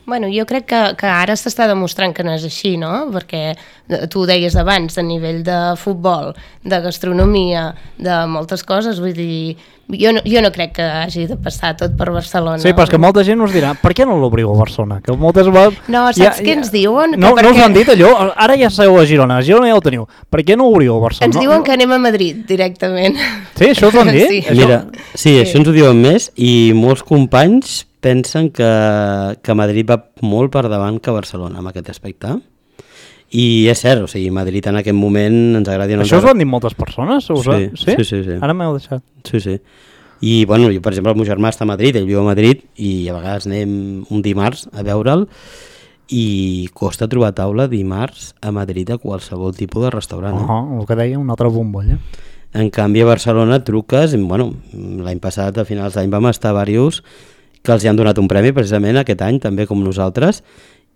Bueno, jo crec que ara s'està demostrant que no és així, no? Perquè tu ho deies abans, a nivell de futbol, de gastronomia, de moltes coses, vull dir, jo no crec que hagi de passar tot per Barcelona. Sí, però és que molta gent us dirà, per què no l'obriu a Barcelona? Que moltes vegades... No, saps què ens diuen? No us han dit allò? Ara ja seu a Girona ja ho teniu. Per què no obriu a Barcelona? Ens diuen que anem a Madrid, directament. Sí, això us ho han dit? Sí. Mira, sí, això ens ho diuen més i molts companys pensen que Madrid va molt per davant que Barcelona en aquest aspecte. I és cert, o sigui, Madrid en aquest moment ens agrada... Això us ho han dit moltes persones? Sí. Ara m'heu deixat. Sí. I, bueno, jo, per exemple, el meu germà està a Madrid, ell viu a Madrid, i a vegades anem un dimarts a veure'l i costa trobar taula dimarts a Madrid a qualsevol tipus de restaurant. El que deia, una altra bombolla. En canvi, a Barcelona truques, bueno, l'any passat, a finals d'any, vam estar diversos que els hi han donat un premi precisament aquest any, també com nosaltres,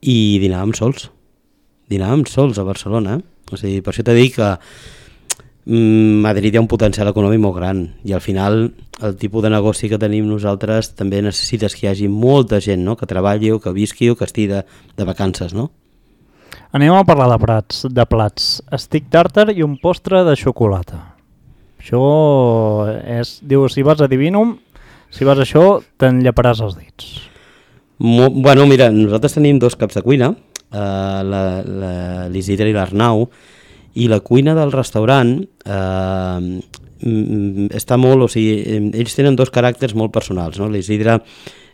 i dinàvem sols a Barcelona. O sigui, per això t'he dit que Madrid hi ha un potencial econòmic molt gran i al final el tipus de negoci que tenim nosaltres també necessites que hi hagi molta gent, no? Que treballi o que visqui o que estigui de vacances, no? Anem a parlar de plats. Stick tartar i un postre de xocolata. Això és... Diu, si vas a Divinum, si vas a això, t'enllaparàs els dits. Bueno, mira, nosaltres tenim dos caps de cuina, l'Isidre i l'Arnau, i la cuina del restaurant està molt, o sigui, ells tenen dos caràcters molt personals, no? L'Isidre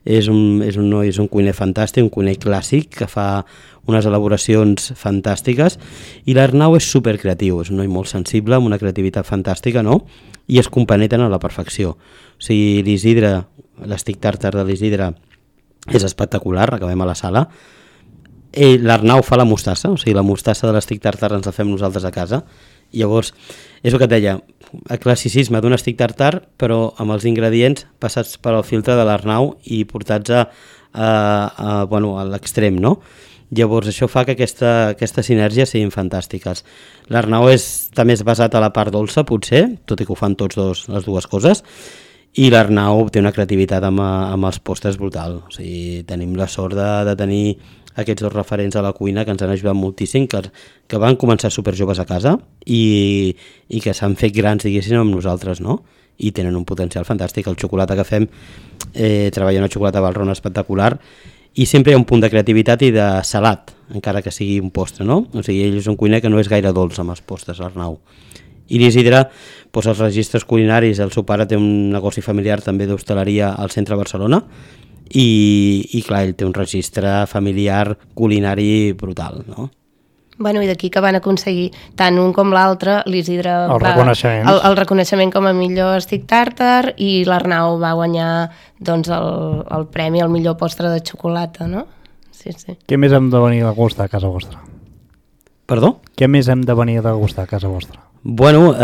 és un cuiner fantàstic, un cuiner clàssic que fa unes elaboracions fantàstiques, i l'Arnau és supercreatiu, és un noi molt sensible, amb una creativitat fantàstica, no? I es compenetren a la perfecció. O sigui, l'Isidre, l'Stick tartar de l'Isidre és espectacular, acabem a la sala. L'Arnau fa la mostassa, o sigui, la mostassa de l'Stick tartar ens la fem nosaltres a casa. I llavors, és el que et deia, el classicisme d'un Stick tartar, però amb els ingredients passats per al filtre de l'Arnau i portats a l'extrem, no? Llavors això fa que aquesta sinergia siguin fantàstiques. L'Arnau està més basat a la part dolça, potser, tot i que ho fan tots les dues coses, i l'Arnau té una creativitat amb els postres brutal. O sigui, tenim la sort de tenir aquests dos referents a la cuina que ens han ajudat moltíssim, que van començar superjoves a casa i que s'han fet grans, diguéssim, amb nosaltres, no? I tenen un potencial fantàstic. El xocolata que fem, treballa una xocolata Valrhona espectacular, i sempre hi ha un punt de creativitat i de salat, encara que sigui un postre, no? O sigui, ell és un cuiner que no és gaire dolç amb els postres, l'Arnau. I l'Isidre, doncs els registres culinaris, el seu pare té un negoci familiar també d'hostaleria al centre de Barcelona, i clar, ell té un registre familiar culinari brutal, no? Bueno, i d'aquí que van aconseguir tant un com l'altre, l'Isidre el reconeixement com a millor Stick tartar i l'Arnau va guanyar doncs, el premi al millor postre de xocolata, no? Sí. Què més hem de venir a gustar a casa vostra? Perdó? Què més hem de venir a gustar a casa vostra? Bueno,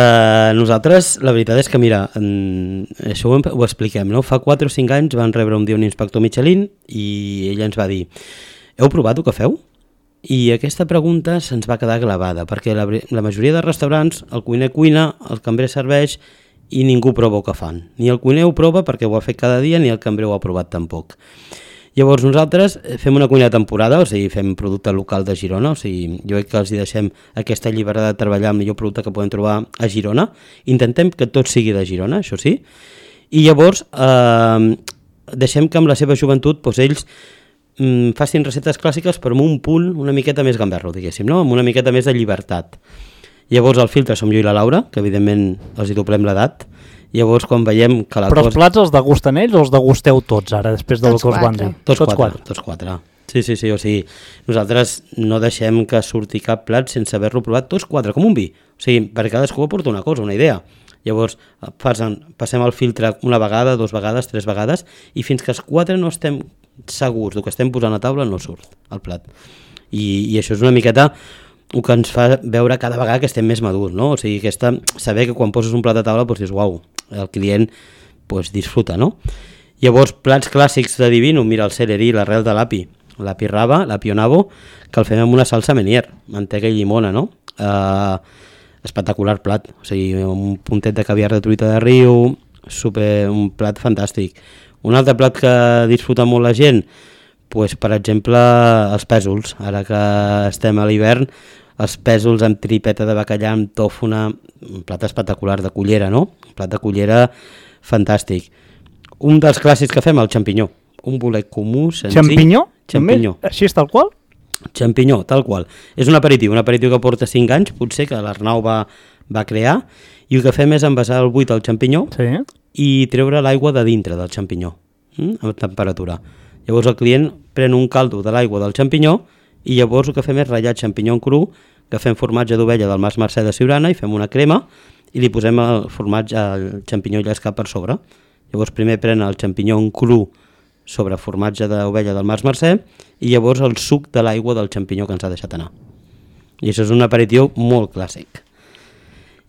nosaltres, la veritat és que, mira, això ho expliquem, no? Fa 4 o 5 anys van rebre un dia un inspector Michelin i ell ens va dir: heu provat el que feu? I aquesta pregunta se'ns va quedar clavada, perquè la majoria de restaurants, el cuiner cuina, el cambrer serveix i ningú prova el que fan. Ni el cuiner ho prova perquè ho ha fet cada dia, ni el cambrer ho ha provat tampoc. Llavors nosaltres fem una cuina de temporada, o sigui, fem producte local de Girona, o sigui, jo crec que els hi deixem aquesta llibertat de treballar amb el millor producte que podem trobar a Girona. Intentem que tot sigui de Girona, això sí, i llavors deixem que amb la seva joventut doncs, ells facin receptes clàssiques però amb un punt una miqueta més gamberro, diguéssim, no? Amb una miqueta més de llibertat. Llavors el filtre som jo i la Laura, que evidentment els hi doblem l'edat. Llavors quan veiem que la Però els plats els degusten ells o els degusteu tots ara, després del que us van dir? Tots quatre. Sí, o sigui, nosaltres no deixem que surti cap plat sense haver-lo provat tots 4, com un vi. O sigui, per cadascú aporta una cosa, una idea. Llavors passem el filtre una vegada, 2 vegades, 3 vegades, i fins que els 4 no estem segurs del que estem posant a taula no surt el plat. I això és una miqueta el que ens fa veure cada vegada que estem més madurs, no? O sigui, saber que quan poses un plat a taula doncs dius, uau, el client disfruta, no? Llavors, plats clàssics de Divinum, mira, el celerí, l'arrel de l'api rava, l'api onabo, que el fem amb una salsa Menier, mantega i llimona, no? Espectacular plat, o sigui, un puntet de caviar de truita de riu, un plat fantàstic. Un altre plat que disfruta molt la gent, pues, per exemple, els pèsols. Ara que estem a l'hivern, els pèsols amb tripeta de bacallà, amb tòfona, un plat espectacular de cullera, no? Un plat de cullera fantàstic. Un dels clàssics que fem, el xampinyó. Un bolet comú, senzill. Xampinyó? Xampinyó. Així és tal qual? Xampinyó, tal qual. És un aperitiu que porta 5 anys, potser, que l'Arnau va crear, i el que fem és envasar el buit al xampinyó i treure l'aigua de dintre del xampinyó, amb temperatura. Llavors el client pren un caldo de l'aigua del xampinyó i llavors el que fem és ratllar xampinyó en cru, que fem formatge d'ovella del Mas Mercè de Siurana i fem una crema i li posem el formatge, el xampinyó llescat per sobre. Llavors primer pren el xampinyó en cru sobre formatge d'ovella del Mas Mercè i llavors el suc de l'aigua del xampinyó que ens ha deixat anar. I això és un aperitiu molt clàssic.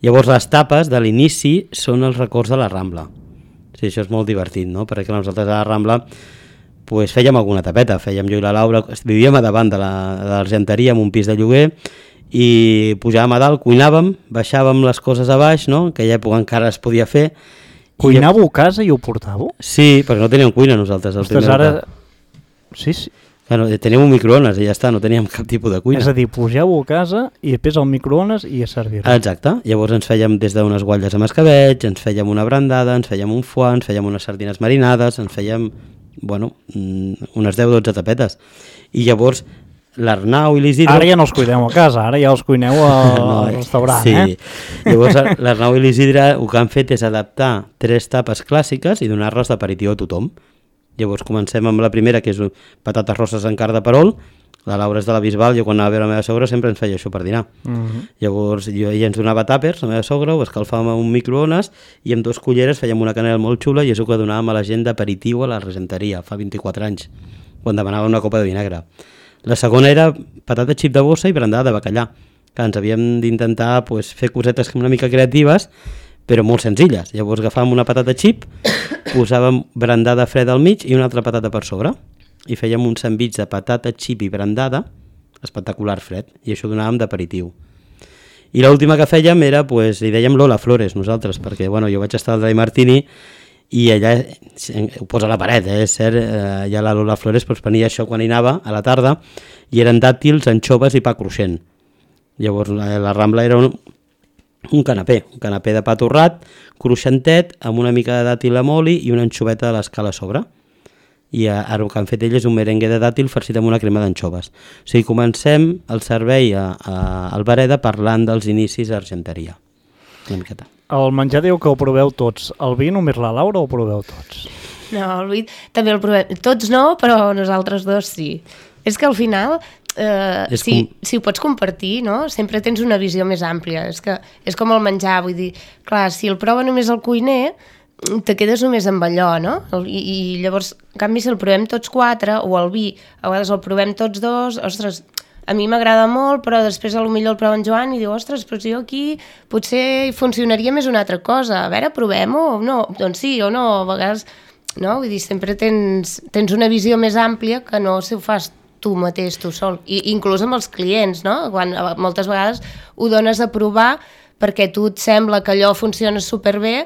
Llavors les tapes de l'inici són els records de la Rambla. Sí, això és molt divertit, no? Perquè nosaltres a la Rambla pues, fèiem alguna tapeta, fèiem jo i la Laura, vivíem a davant de l'Argenteria en un pis de lloguer i pujàvem a dalt, cuinàvem, baixàvem les coses a baix, no? En aquella època encara es podia fer. Cuinàveu a casa i ho portàveu? Sí, perquè no teníem cuina nosaltres. Ostres, ara... Sí. Bueno, teníem un microones i ja està, no teníem cap tipus de cuina. És a dir, pugeu a casa i després al microones i a servir. Exacte, llavors ens fèiem des d'unes guatlles amb escabeig, ens fèiem una brandada, ens fèiem un foie, ens fèiem unes sardines marinades, ens fèiem, bueno, unes 10-12 tapetes. I llavors l'Arnau i l'Isidre... Ara ja no els cuineu a casa, ara ja els cuineu al restaurant, sí. Llavors l'Arnau i l'Isidre el que han fet és adaptar 3 tapes clàssiques i donar-les d'aperitiu a tothom. Llavors comencem amb la primera, que és patates rosses en carn de perol. La Laura és de la Bisbal, jo quan anava a veure la meva sogra sempre ens feia això per dinar. Llavors ella ens donava tàpers, la meva sogra, ho escalfàvem a un microones i amb 2 culleres fèiem una canela molt xula i és el que donàvem a la gent d'aperitiu a la Regenteria, fa 24 anys, quan demanava una copa de vinagre. La segona era patata xip de bossa i brandada de bacallà, que ens havíem d'intentar pues, fer cosetes una mica creatives, però molt senzilles. Llavors agafàvem una patata xip, posàvem brandada freda al mig i una altra patata per sobre i fèiem un sandvitx de patata xip i brandada espectacular fred i això donàvem d'aperitiu. I l'última que fèiem era, pues, li dèiem Lola Flores nosaltres, perquè bueno, jo vaig estar al Dry Martini i allà ho posa a la paret, és cert, allà la Lola Flores pues, venia això quan hi anava a la tarda i eren dàtils, anxoves i pa cruixent. Llavors la Rambla era un canapé de pa torrat, cruixentet, amb una mica de dàtil amb oli i una anxoveta de l'escala a sobre. I ara el que han fet ells és un merengue de dàtil farcit amb una crema d'anxoves. O sigui, comencem el servei a Albareda parlant dels inicis a Argenteria. Una miqueta. El menjar diu que ho proveu tots. El vi només la Laura o ho proveu tots? No, el vi també el provem. Tots no, però nosaltres dos sí. És que al final... si ho pots compartir, no? Sempre tens una visió més àmplia. És com el menjar, vull dir, clar, si el prova només el cuiner, te quedes només amb allò, no? I llavors, en canvi, si el provem tots 4, o el vi, a vegades el provem tots 2, ostres, a mi m'agrada molt, però després potser el prova en Joan i diu, ostres, però jo aquí potser funcionaria més una altra cosa. A veure, provem-ho o no? Doncs sí o no, a vegades, no? Vull dir, sempre tens una visió més àmplia que no si ho fas tu mateix, tu sol, i inclús amb els clients, no? Quan moltes vegades ho dones a provar perquè tu et sembla que allò funciona superbé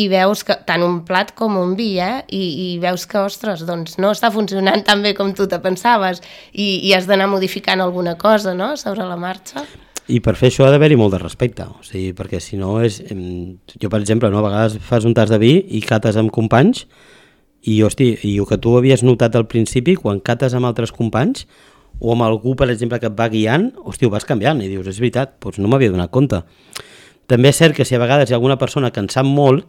i veus que tant un plat com un vi, i veus que, ostres, doncs no està funcionant tan bé com tu te pensaves i has d'anar modificant alguna cosa, no?, sobre la marxa. I per fer això ha d'haver-hi molt de respecte, o sigui, perquè si no és... Jo, per exemple, no, a vegades fas un tas de vi i cates amb companys i, hosti, i el que tu havies notat al principi, quan cates amb altres companys o amb algú, per exemple, que et va guiant, hosti, ho vas canviant i dius, és veritat, doncs no m'havia donat compte. També és cert que si a vegades hi ha alguna persona que en sap molt,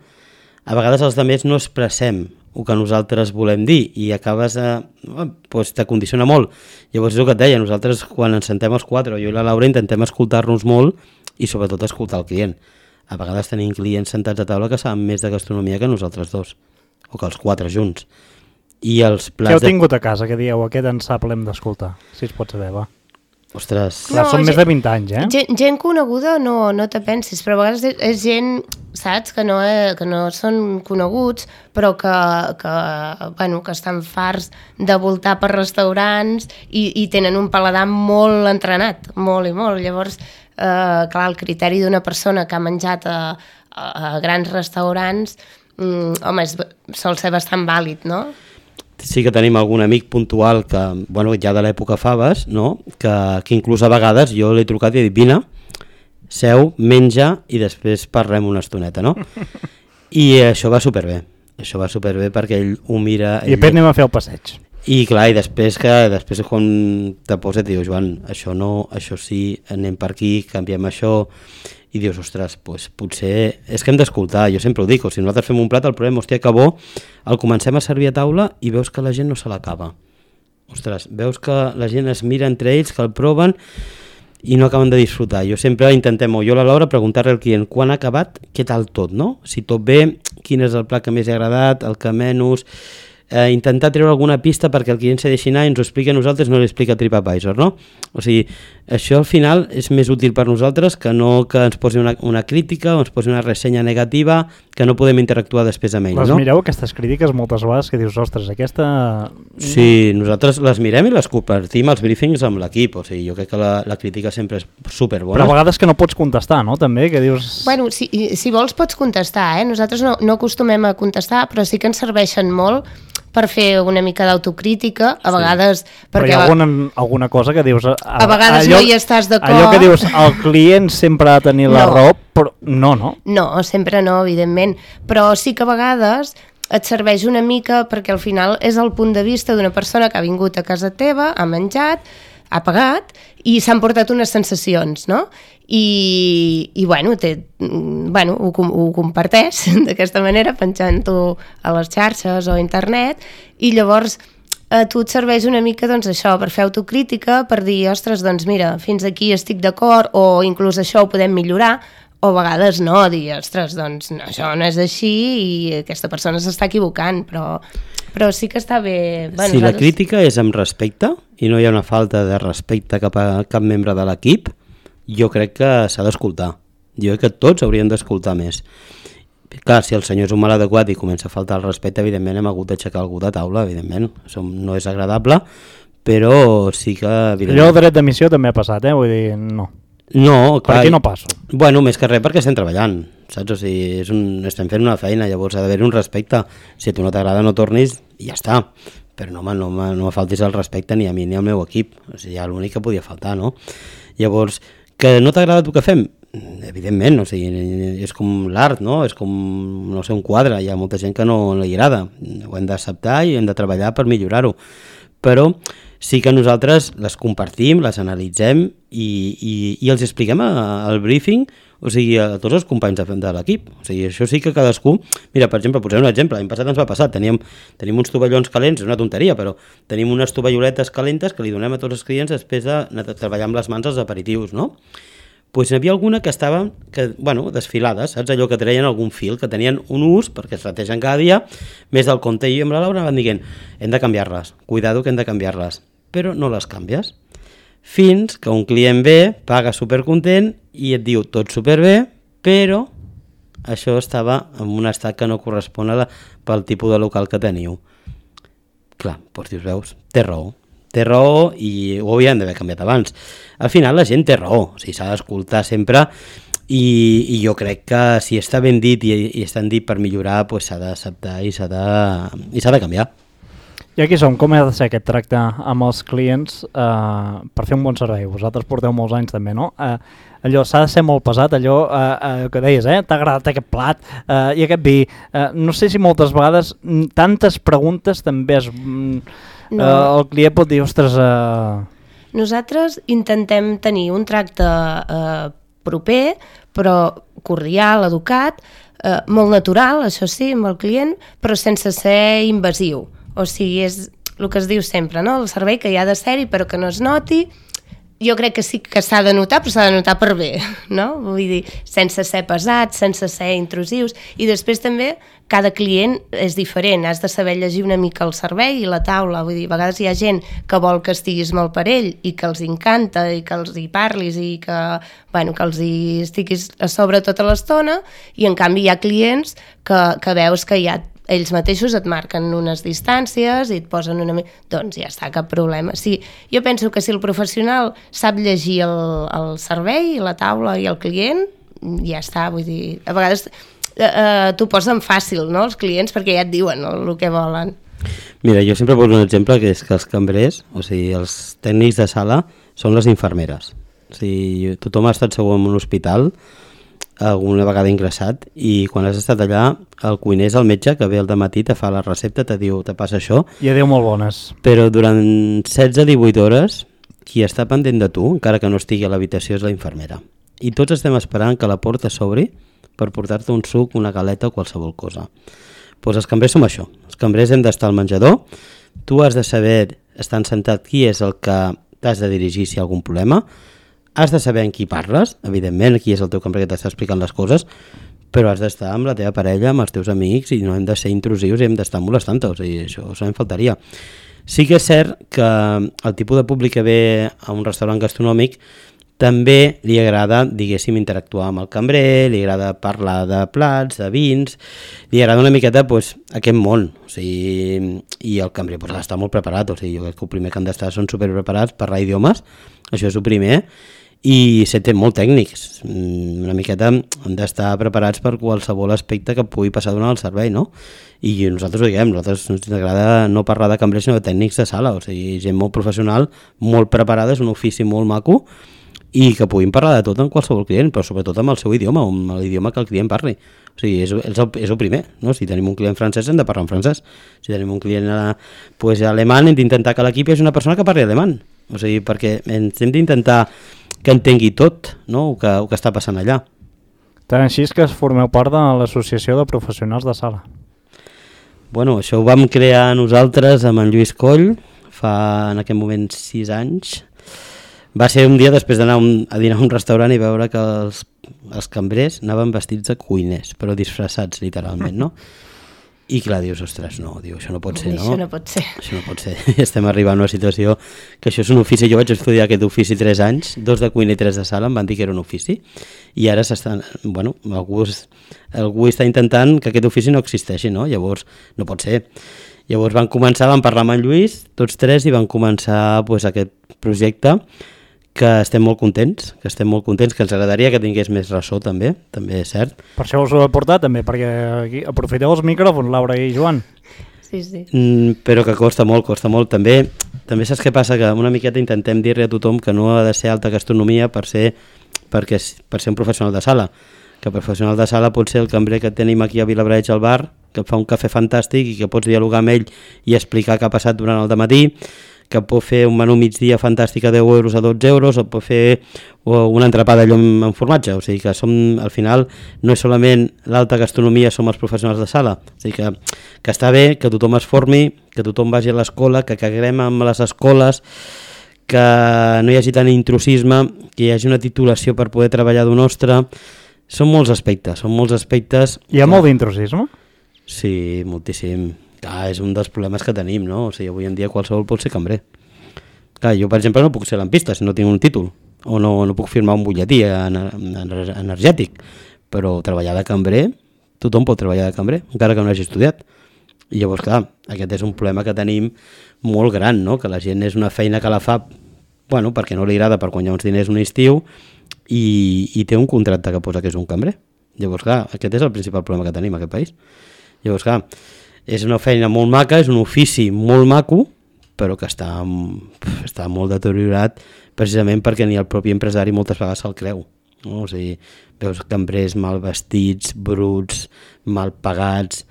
a vegades els altres no expressem el que nosaltres volem dir i acabes doncs te condiciona molt. Llavors és el que et deia, nosaltres quan ens sentem els 4, jo i la Laura intentem escoltar-nos molt i sobretot escoltar el client. A vegades tenim clients sentats a taula que saben més de gastronomia que nosaltres dos, o que els 4 junts. I els plats... Què heu tingut a casa, que dieu, aquest en sap, l'hem d'escoltar, si es pot saber, va. Ostres... Clar, són més de 20 anys, Gent coneguda no te pensis, però a vegades és gent, saps, que no són coneguts, però que estan farts de voltar per restaurants i tenen un paladar molt entrenat, molt i molt. Llavors, clar, el criteri d'una persona que ha menjat a grans restaurants, home, sol ser bastant vàlid, no? sí que tenim algun amic puntual que, bueno, ja de l'època faves, no? que inclús a vegades jo l'he trucat i he dit, vine, seu, menja i després parlem una estoneta, no? I això va superbé perquè ell ho mira... I després anem a fer el passeig. I clar, i després quan te posa et diu, Joan, això no, això sí, anem per aquí, canviem això, i dius, ostres, doncs potser és que hem d'escoltar, jo sempre ho dic, si nosaltres fem un plat, el problema, hòstia, que bo, el comencem a servir a taula i veus que la gent no se l'acaba. Ostres, veus que la gent es mira entre ells, que el proven i no acaben de disfrutar. Jo sempre intentem, o jo a l'hora, preguntar-li al client quan ha acabat, què tal tot, no? Si tot bé, quin és el plat que més ha agradat, el que menys... intentar treure alguna pista perquè el client se deixi anar i ens ho expliqui a nosaltres, no li explica a TripAdvisor, no? O sigui, això al final és més útil per nosaltres que no que ens posi una crítica o ens posi una ressenya negativa que no podem interactuar després amb ells, no? Les mireu, aquestes crítiques, moltes vegades que dius, ostres, aquesta... Sí, nosaltres les mirem i les compartim als briefings amb l'equip, o sigui, jo crec que la crítica sempre és superbona. Però a vegades que no pots contestar, no? També, que dius... Bueno, si vols pots contestar, Nosaltres no acostumem a contestar, però sí que ens serveixen molt per fer una mica d'autocrítica, a vegades... Però hi ha alguna cosa que dius... A vegades no hi estàs d'acord. Allò que dius, el client sempre ha de tenir la raó, però no. No, sempre no, evidentment. Però sí que a vegades et serveix una mica perquè al final és el punt de vista d'una persona que ha vingut a casa teva, ha menjat, ha pagat i s'han portat unes sensacions, no? I bueno, ho comparteix d'aquesta manera, penjant-ho a les xarxes o a internet, i llavors a tu et serveix una mica doncs, això, per fer autocrítica, per dir, ostres, doncs mira, fins aquí estic d'acord, o inclús això ho podem millorar, o a vegades no, dir, ostres, doncs això no és així i aquesta persona s'està equivocant, però sí que està bé... Bueno, si la crítica és amb respecte i no hi ha una falta de respecte cap a cap membre de l'equip, jo crec que s'ha d'escoltar. Jo crec que tots haurien d'escoltar més. Clar, si el senyor és un mal adequat i comença a faltar el respecte, evidentment hem hagut d'aixecar algú de taula, evidentment. Això no és agradable, però sí que... Allò dret d'emissió també ha passat, vull dir, no. No, clar. Per aquí no passo. Bueno, més que res perquè estem treballant, saps? O sigui, estem fent una feina, llavors ha d'haver un respecte. Si a tu no t'agrada no tornis i ja està. Però no me faltis el respecte ni a mi ni al meu equip. O sigui, ja l'únic que podia faltar, no? Llavors, que no t'agrada el que fem? Evidentment, o sigui, és com l'art, no? És com, no sé, un quadre. Hi ha molta gent que no li agrada. Ho hem d'acceptar i hem de treballar per millorar-ho. Però sí que nosaltres les compartim, les analitzem i els expliquem al briefing, o sigui, a tots els companys de l'equip. O sigui, això sí que cadascú... Mira, per exemple, posaré un exemple. L'any passat ens va passar, tenim uns tovallons calents, és una tonteria, però tenim unes tovalloletes calentes que li donem a tots els clients després de treballar amb les mans els aperitius, no? Doncs n'hi havia alguna que estaven, desfilades, saps? Allò que treien algun fil, que tenien un ús, perquè es rategen cada dia, més del compte. I amb la Laura van dient, hem de canviar-les, cuidado que hem de canviar-les, però no les canvies. Fins que un client ve, paga supercontent i et diu tot superbé, però això estava en un estat que no correspon pel tipus de local que teniu. Clar, doncs dius, veus, té raó i ho havíem d'haver canviat abans. Al final la gent té raó, o sigui, s'ha d'escoltar sempre i jo crec que si està ben dit i està dit per millorar, doncs s'ha d'acceptar i s'ha de canviar. I aquí som, com ha de ser aquest tracte amb els clients per fer un bon servei? Vosaltres porteu molts anys també, no? Allò s'ha de ser molt pesat, allò que deies, t'ha agradat aquest plat i aquest vi. No sé si moltes vegades tantes preguntes també és... No. El client pot dir, ostres... Nosaltres intentem tenir un tracte proper, però cordial, educat, molt natural, això sí, amb el client, però sense ser invasiu. O sigui, és el que es diu sempre, no? El servei que hi ha de ser-hi, però que no es noti. Jo crec que sí que s'ha de notar, però s'ha de notar per bé, no? Vull dir, sense ser pesats, sense ser intrusius. I després també, cada client és diferent, has de saber llegir una mica el servei i la taula. Vull dir, a vegades hi ha gent que vol que estiguis molt per ell i que els encanta i que els hi parlis i que els hi estiguis a sobre tota l'estona, i en canvi hi ha clients que veus que hi ha ells mateixos et marquen unes distàncies i et posen una... Doncs ja està, cap problema. Sí, jo penso que si el professional sap llegir el servei, la taula i el client, ja està, vull dir... A vegades t'ho posen fàcil, no?, els clients, perquè ja et diuen el que volen. Mira, jo sempre poso un exemple que és que els cambrers, o sigui, els tècnics de sala són les infermeres. O sigui, tothom ha estat segur en un hospital alguna vegada ingressat i quan has estat allà el cuiner és el metge que ve al dematí, te fa la recepta, te diu, te passa això. I adéu molt bones. Però durant 16-18 hores qui està pendent de tu, encara que no estigui a l'habitació, és la infermera. I tots estem esperant que la porta s'obri per portar-te un suc, una galeta o qualsevol cosa. Doncs els cambrers som això. Els cambrers hem d'estar al menjador, tu has de saber, estant sentat, qui és el que t'has de dirigir si hi ha algun problema, has de saber amb qui parles, evidentment, qui és el teu cambrer que t'està explicant les coses, però has d'estar amb la teva parella, amb els teus amics, i no hem de ser intrusius i hem d'estar molestant-te, o sigui, això em faltaria. Sí que és cert que el tipus de públic que ve a un restaurant gastronòmic també li agrada, diguéssim, interactuar amb el cambrer, li agrada parlar de plats, de vins, li agrada una miqueta aquest món, o sigui, i el cambrer ha d'estar molt preparat, o sigui, jo crec que el primer que han d'estar són superpreparats, parlar idiomes, això és el primer, i ser molt tècnics, una miqueta han d'estar preparats per qualsevol aspecte que pugui passar durant el servei, no? I nosaltres ho diguem, nosaltres ens agrada no parlar de cambrers sinó de tècnics de sala, o sigui, gent molt professional, molt preparada, és un ofici molt maco, i que puguin parlar de tot amb qualsevol client, però sobretot amb el seu idioma, amb l'idioma que el client parli. O sigui, és el primer, no? Si tenim un client francès hem de parlar en francès, si tenim un client alemany hem d'intentar que l'equip és una persona que parli alemany, o sigui, perquè hem d'intentar que entengui tot, no? el que està passant allà. Tant així és que formeu part de l'Associació de Professionals de Sala. Bueno, això ho vam crear nosaltres amb en Lluís Coll fa en aquest moment 6 anys. Va ser un dia després d'anar a dinar a un restaurant i veure que els cambrers anaven vestits de cuiners, però disfressats literalment, no? I clar, dius, ostres, no, això no pot ser, no? Això no pot ser. Això no pot ser. Estem arribant a una situació que això és un ofici. Jo vaig estudiar aquest ofici 3 anys, 2 de cuina i 3 de sala, em van dir que era un ofici, i ara algú està intentant que aquest ofici no existeixi, no? Llavors, no pot ser. Llavors van parlar amb en Lluís, tots 3, i van començar aquest projecte, que estem molt contents, que ens agradaria que tingués més ressò també és cert. Per això us ho he portat també, perquè aquí aprofiteu els micròfons, Laura i Joan. Sí, sí. Però que costa molt. També saps què passa? Que una miqueta intentem dir-li a tothom que no ha de ser alta gastronomia per ser un professional de sala. Que professional de sala pot ser el cambrer que tenim aquí a Vilablareix al bar, que fa un cafè fantàstic i que pots dialogar amb ell i explicar què ha passat durant el dematí, que pot fer un menú migdia fantàstic a 10 euros, a 12 euros, o pot fer un entrepà de llom amb formatge. O sigui que al final no és solament l'alta gastronomia, som els professionals de sala. O sigui que està bé que tothom es formi, que tothom vagi a l'escola, que caguem amb les escoles, que no hi hagi tant intrusisme, que hi hagi una titulació per poder treballar d'un nostre. Són molts aspectes. Hi ha molt d'intrusisme? Sí, moltíssim. És un dels problemes que tenim, no? O sigui, avui en dia qualsevol pot ser cambrer. Clar, jo, per exemple, no puc ser lampista si no tinc un títol, o no puc firmar un butlletí energètic, però treballar de cambrer, tothom pot treballar de cambrer, encara que no hagi estudiat. I llavors, clar, aquest és un problema que tenim molt gran, no? Que la gent és una feina que la fa, perquè no li agrada per guanyar uns diners un estiu, i té un contracte que posa que és un cambrer. Llavors, clar, aquest és el principal problema que tenim a aquest país. Llavors, clar, és una feina molt maca, és un ofici molt maco, però que està molt deteriorat precisament perquè ni el propi empresari moltes vegades se'l creu. No? O sigui, veus cambrers mal vestits, bruts, mal pagats.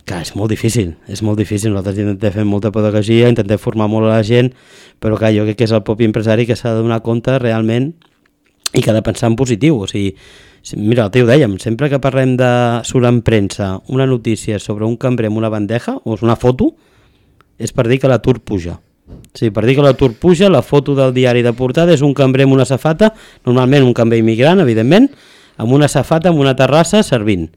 Clar, és molt difícil. Nosaltres intentem fer molta pedagogia, intentem formar molt a la gent, però clar, jo crec que és el propi empresari que s'ha de donar compte realment i que ha de pensar en positiu. O sigui, mira, ho dèiem, sempre que parlem de surt en premsa una notícia sobre un cambrer amb una bandeja o una foto, és per dir que l'atur puja. Sí, per dir que l'atur puja, la foto del diari de portada és un cambrer amb una safata, normalment un cambrer immigrant, evidentment, amb una safata, amb una terrassa, servint.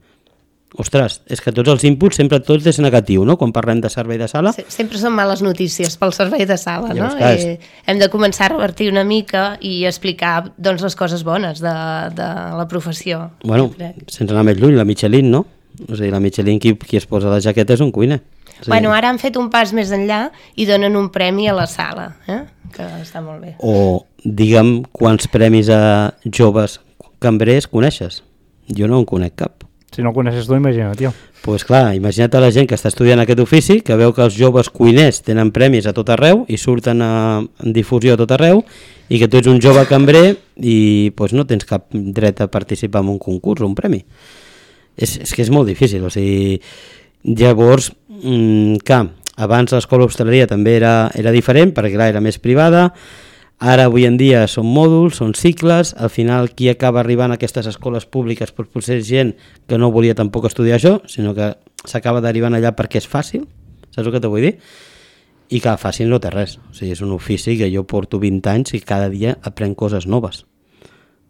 Ostres, és que tots els inputs sempre tot és negatiu, no? Quan parlem de servei de sala. Sempre són males notícies pel servei de sala, no? Hem de començar a revertir una mica i explicar les coses bones de la professió. Bueno, sense anar més lluny, la Michelin, no? O sigui, la Michelin, qui es posa la jaqueta és un cuiner. O sigui... Ara han fet un pas més enllà i donen un premi a la sala, que està molt bé. O, digue'm, quants premis a joves cambrers coneixes? Jo no en conec cap. Si no coneixes tu, imagina't, tio. Pues clar, imagina't la gent que està estudiant aquest ofici, que veu que els joves cuiners tenen premis a tot arreu i surten en difusió a tot arreu, i que tu ets un jove cambrer i pues, no tens cap dret a participar en un concurs o un premi. És que és molt difícil, o sigui, llavors, clar, abans l'escola d'hostaleria també era diferent, perquè clar, era més privada. Ara, avui en dia, són mòduls, són cicles, al final qui acaba arribant a aquestes escoles públiques potser és gent que no volia tampoc estudiar això, sinó que s'acaba derivant allà perquè és fàcil, saps el que te vull dir? I que fàcil no té res, o sigui, és un ofici que jo porto 20 anys i cada dia aprenc coses noves.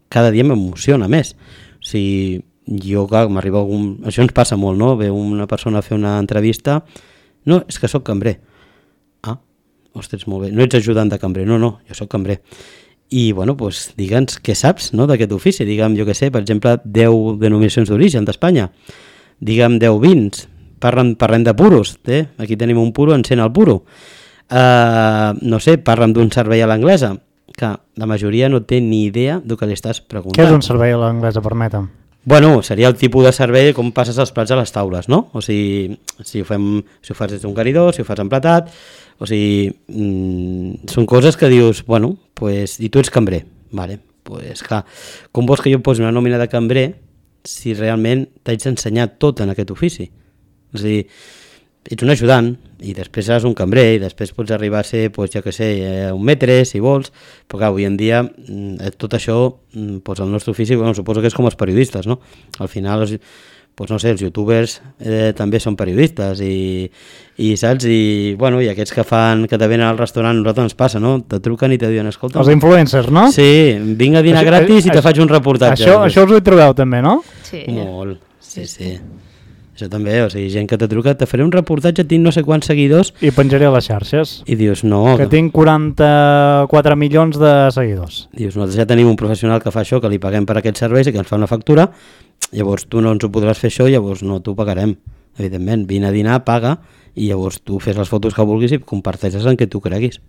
Cada dia m'emociona més. O sigui, jo, clar, m'arriba algun... Això ens passa molt, no? Ve una persona a fer una entrevista, no, és que sóc cambrer. Ostres, molt bé, no ets ajudant de cambrer, no, jo sóc cambrer. I, bueno, doncs, digue'ns què saps, no?, d'aquest ofici. Digue'm, jo què sé, per exemple, 10 denominacions d'origen d'Espanya. Digue'm 10 vins. Parlem de puros, aquí tenim un puro, encén el puro. No sé, parlem d'un servei a l'anglesa, que la majoria no té ni idea del que li estàs preguntant. Què és un servei a l'anglesa, permetem? Bueno, seria el tipus de servei com passes els plats a les taules, no? O sigui, si ho fas des d'un caridor, si ho fas emplatat, o sigui, són coses que dius, bueno, pues, i tu ets cambrer, vale, pues clar, com vols que jo posi una nòmina de cambrer si realment t'haig d'ensenyar tot en aquest ofici? O sigui, ets un ajudant i després seràs un cambrer i després pots arribar a ser, pues, ja que sé, un metre, si vols, però clar, avui en dia tot això, pues, el nostre ofici, bueno, suposo que és com els periodistes, no? Al final, pues, no sé, els youtubers també són periodistes i saps? I, bueno, i aquests que te venen al restaurant, a nosaltres ens passa, no? Te truquen i te diuen, escolta... Els influencers, no? Sí, vinc a dinar gratis i te faig un reportatge. Això us ho trobeu també, no? Sí. Molt, sí. Això també, o sigui, gent que te truca, te faré un reportatge, tinc no sé quants seguidors... I penjaré a les xarxes. I dius, no... Que tinc 44 milions de seguidors. Dius, nosaltres ja tenim un professional que fa això, que li paguem per aquests serveis i que ens fa una factura, llavors tu no ens ho podràs fer això, llavors no t'ho pagarem. Evidentment, vine a dinar, paga, i llavors tu fes les fotos que vulguis i comparteixes en què tu creguis.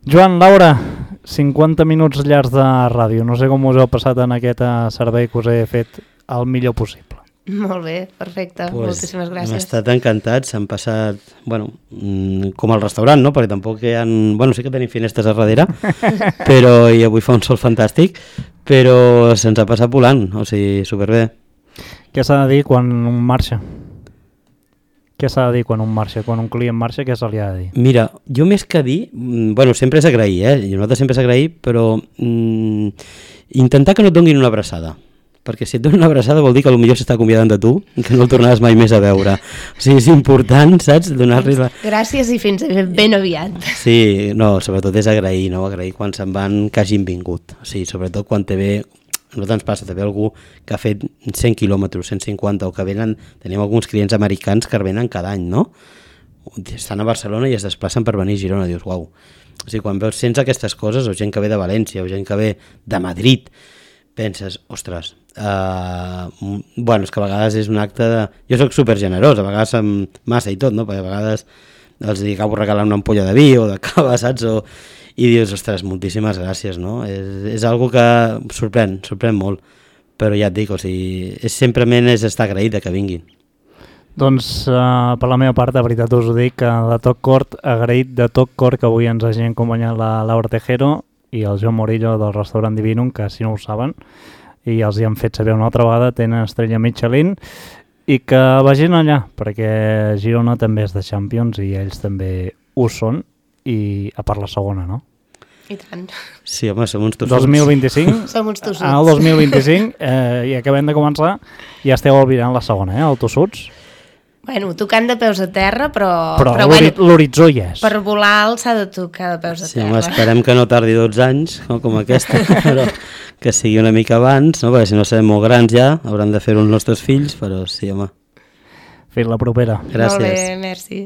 Joan, Laura, 50 minuts llargs de ràdio. No sé com us heu passat en aquest servei que us he fet el millor possible. Molt bé, perfecte, pues, moltíssimes gràcies. Hem estat encantats, hem passat, bueno, com al restaurant, no? Perquè tampoc hi ha... Bueno, sí que tenim finestres a darrere, però i avui fa un sol fantàstic, però se'ns ha passat volant, o sigui, superbé. Què s'ha de dir quan un marxa? Què s'ha de dir quan un marxa? Quan un client marxa, què se li ha de dir? Mira, jo més que dir... Bueno, sempre és agrair, i nosaltres sempre és agrair, però intentar que no et donin una abraçada. Perquè si et donen una abraçada vol dir que potser s'està acomiadant de tu i que no el tornaràs mai més a veure. O sigui, és important, saps? Donar-li la... Gràcies i fins ben aviat. Sí, no, sobretot és agrair, no? Agrair quan se'n van que hagin vingut. O sigui, sobretot quan te ve... A nosaltres ens passa, te ve algú que ha fet 100 quilòmetres, 150, o que venen... Tenim alguns clients americans que venen cada any, no? Estan a Barcelona i es desplacen per venir a Girona. Dius, uau. O sigui, quan veus sents aquestes coses, o gent que ve de València, o gent que ve de Madrid, penses, ostres, bueno, és que a vegades és un acte de... Jo soc supergenerós, a vegades amb massa i tot, no? Perquè a vegades els acabo regalant una ampolla de vi o de cava, saps? I dius, ostres, moltíssimes gràcies, no? És algo que sorprèn molt, però ja et dic, o sigui, simplement és estar agraït de que vinguin. Doncs per la meva part, de veritat us ho dic, de tot cor, agraït de tot cor que avui ens hagi acompanyat la Laura Tejero i el Joan Morillo del restaurant Divinum, que si no ho saben, i els hi han fet saber una altra vegada, tenen estrella Michelin, i que vagin allà, perquè Girona també és de Champions i ells també ho són, i a part la segona, no? I tant. Sí, home, som uns tossuts. 2025, som uns tossuts. el 2025, i acabem de començar, ja esteu albirant la segona, el tossuts. Bueno, tocant de peus a terra, però l'horitzó hi és. Per volar alt s'ha de tocar de peus a terra. Sí, home, esperem que no tardi 12 anys, no, com aquesta, però que sigui una mica abans, no? Perquè si no serem molt grans ja, hauran de fer-ho els nostres fills, però sí, home. Fins la propera. Gràcies. Molt bé, merci.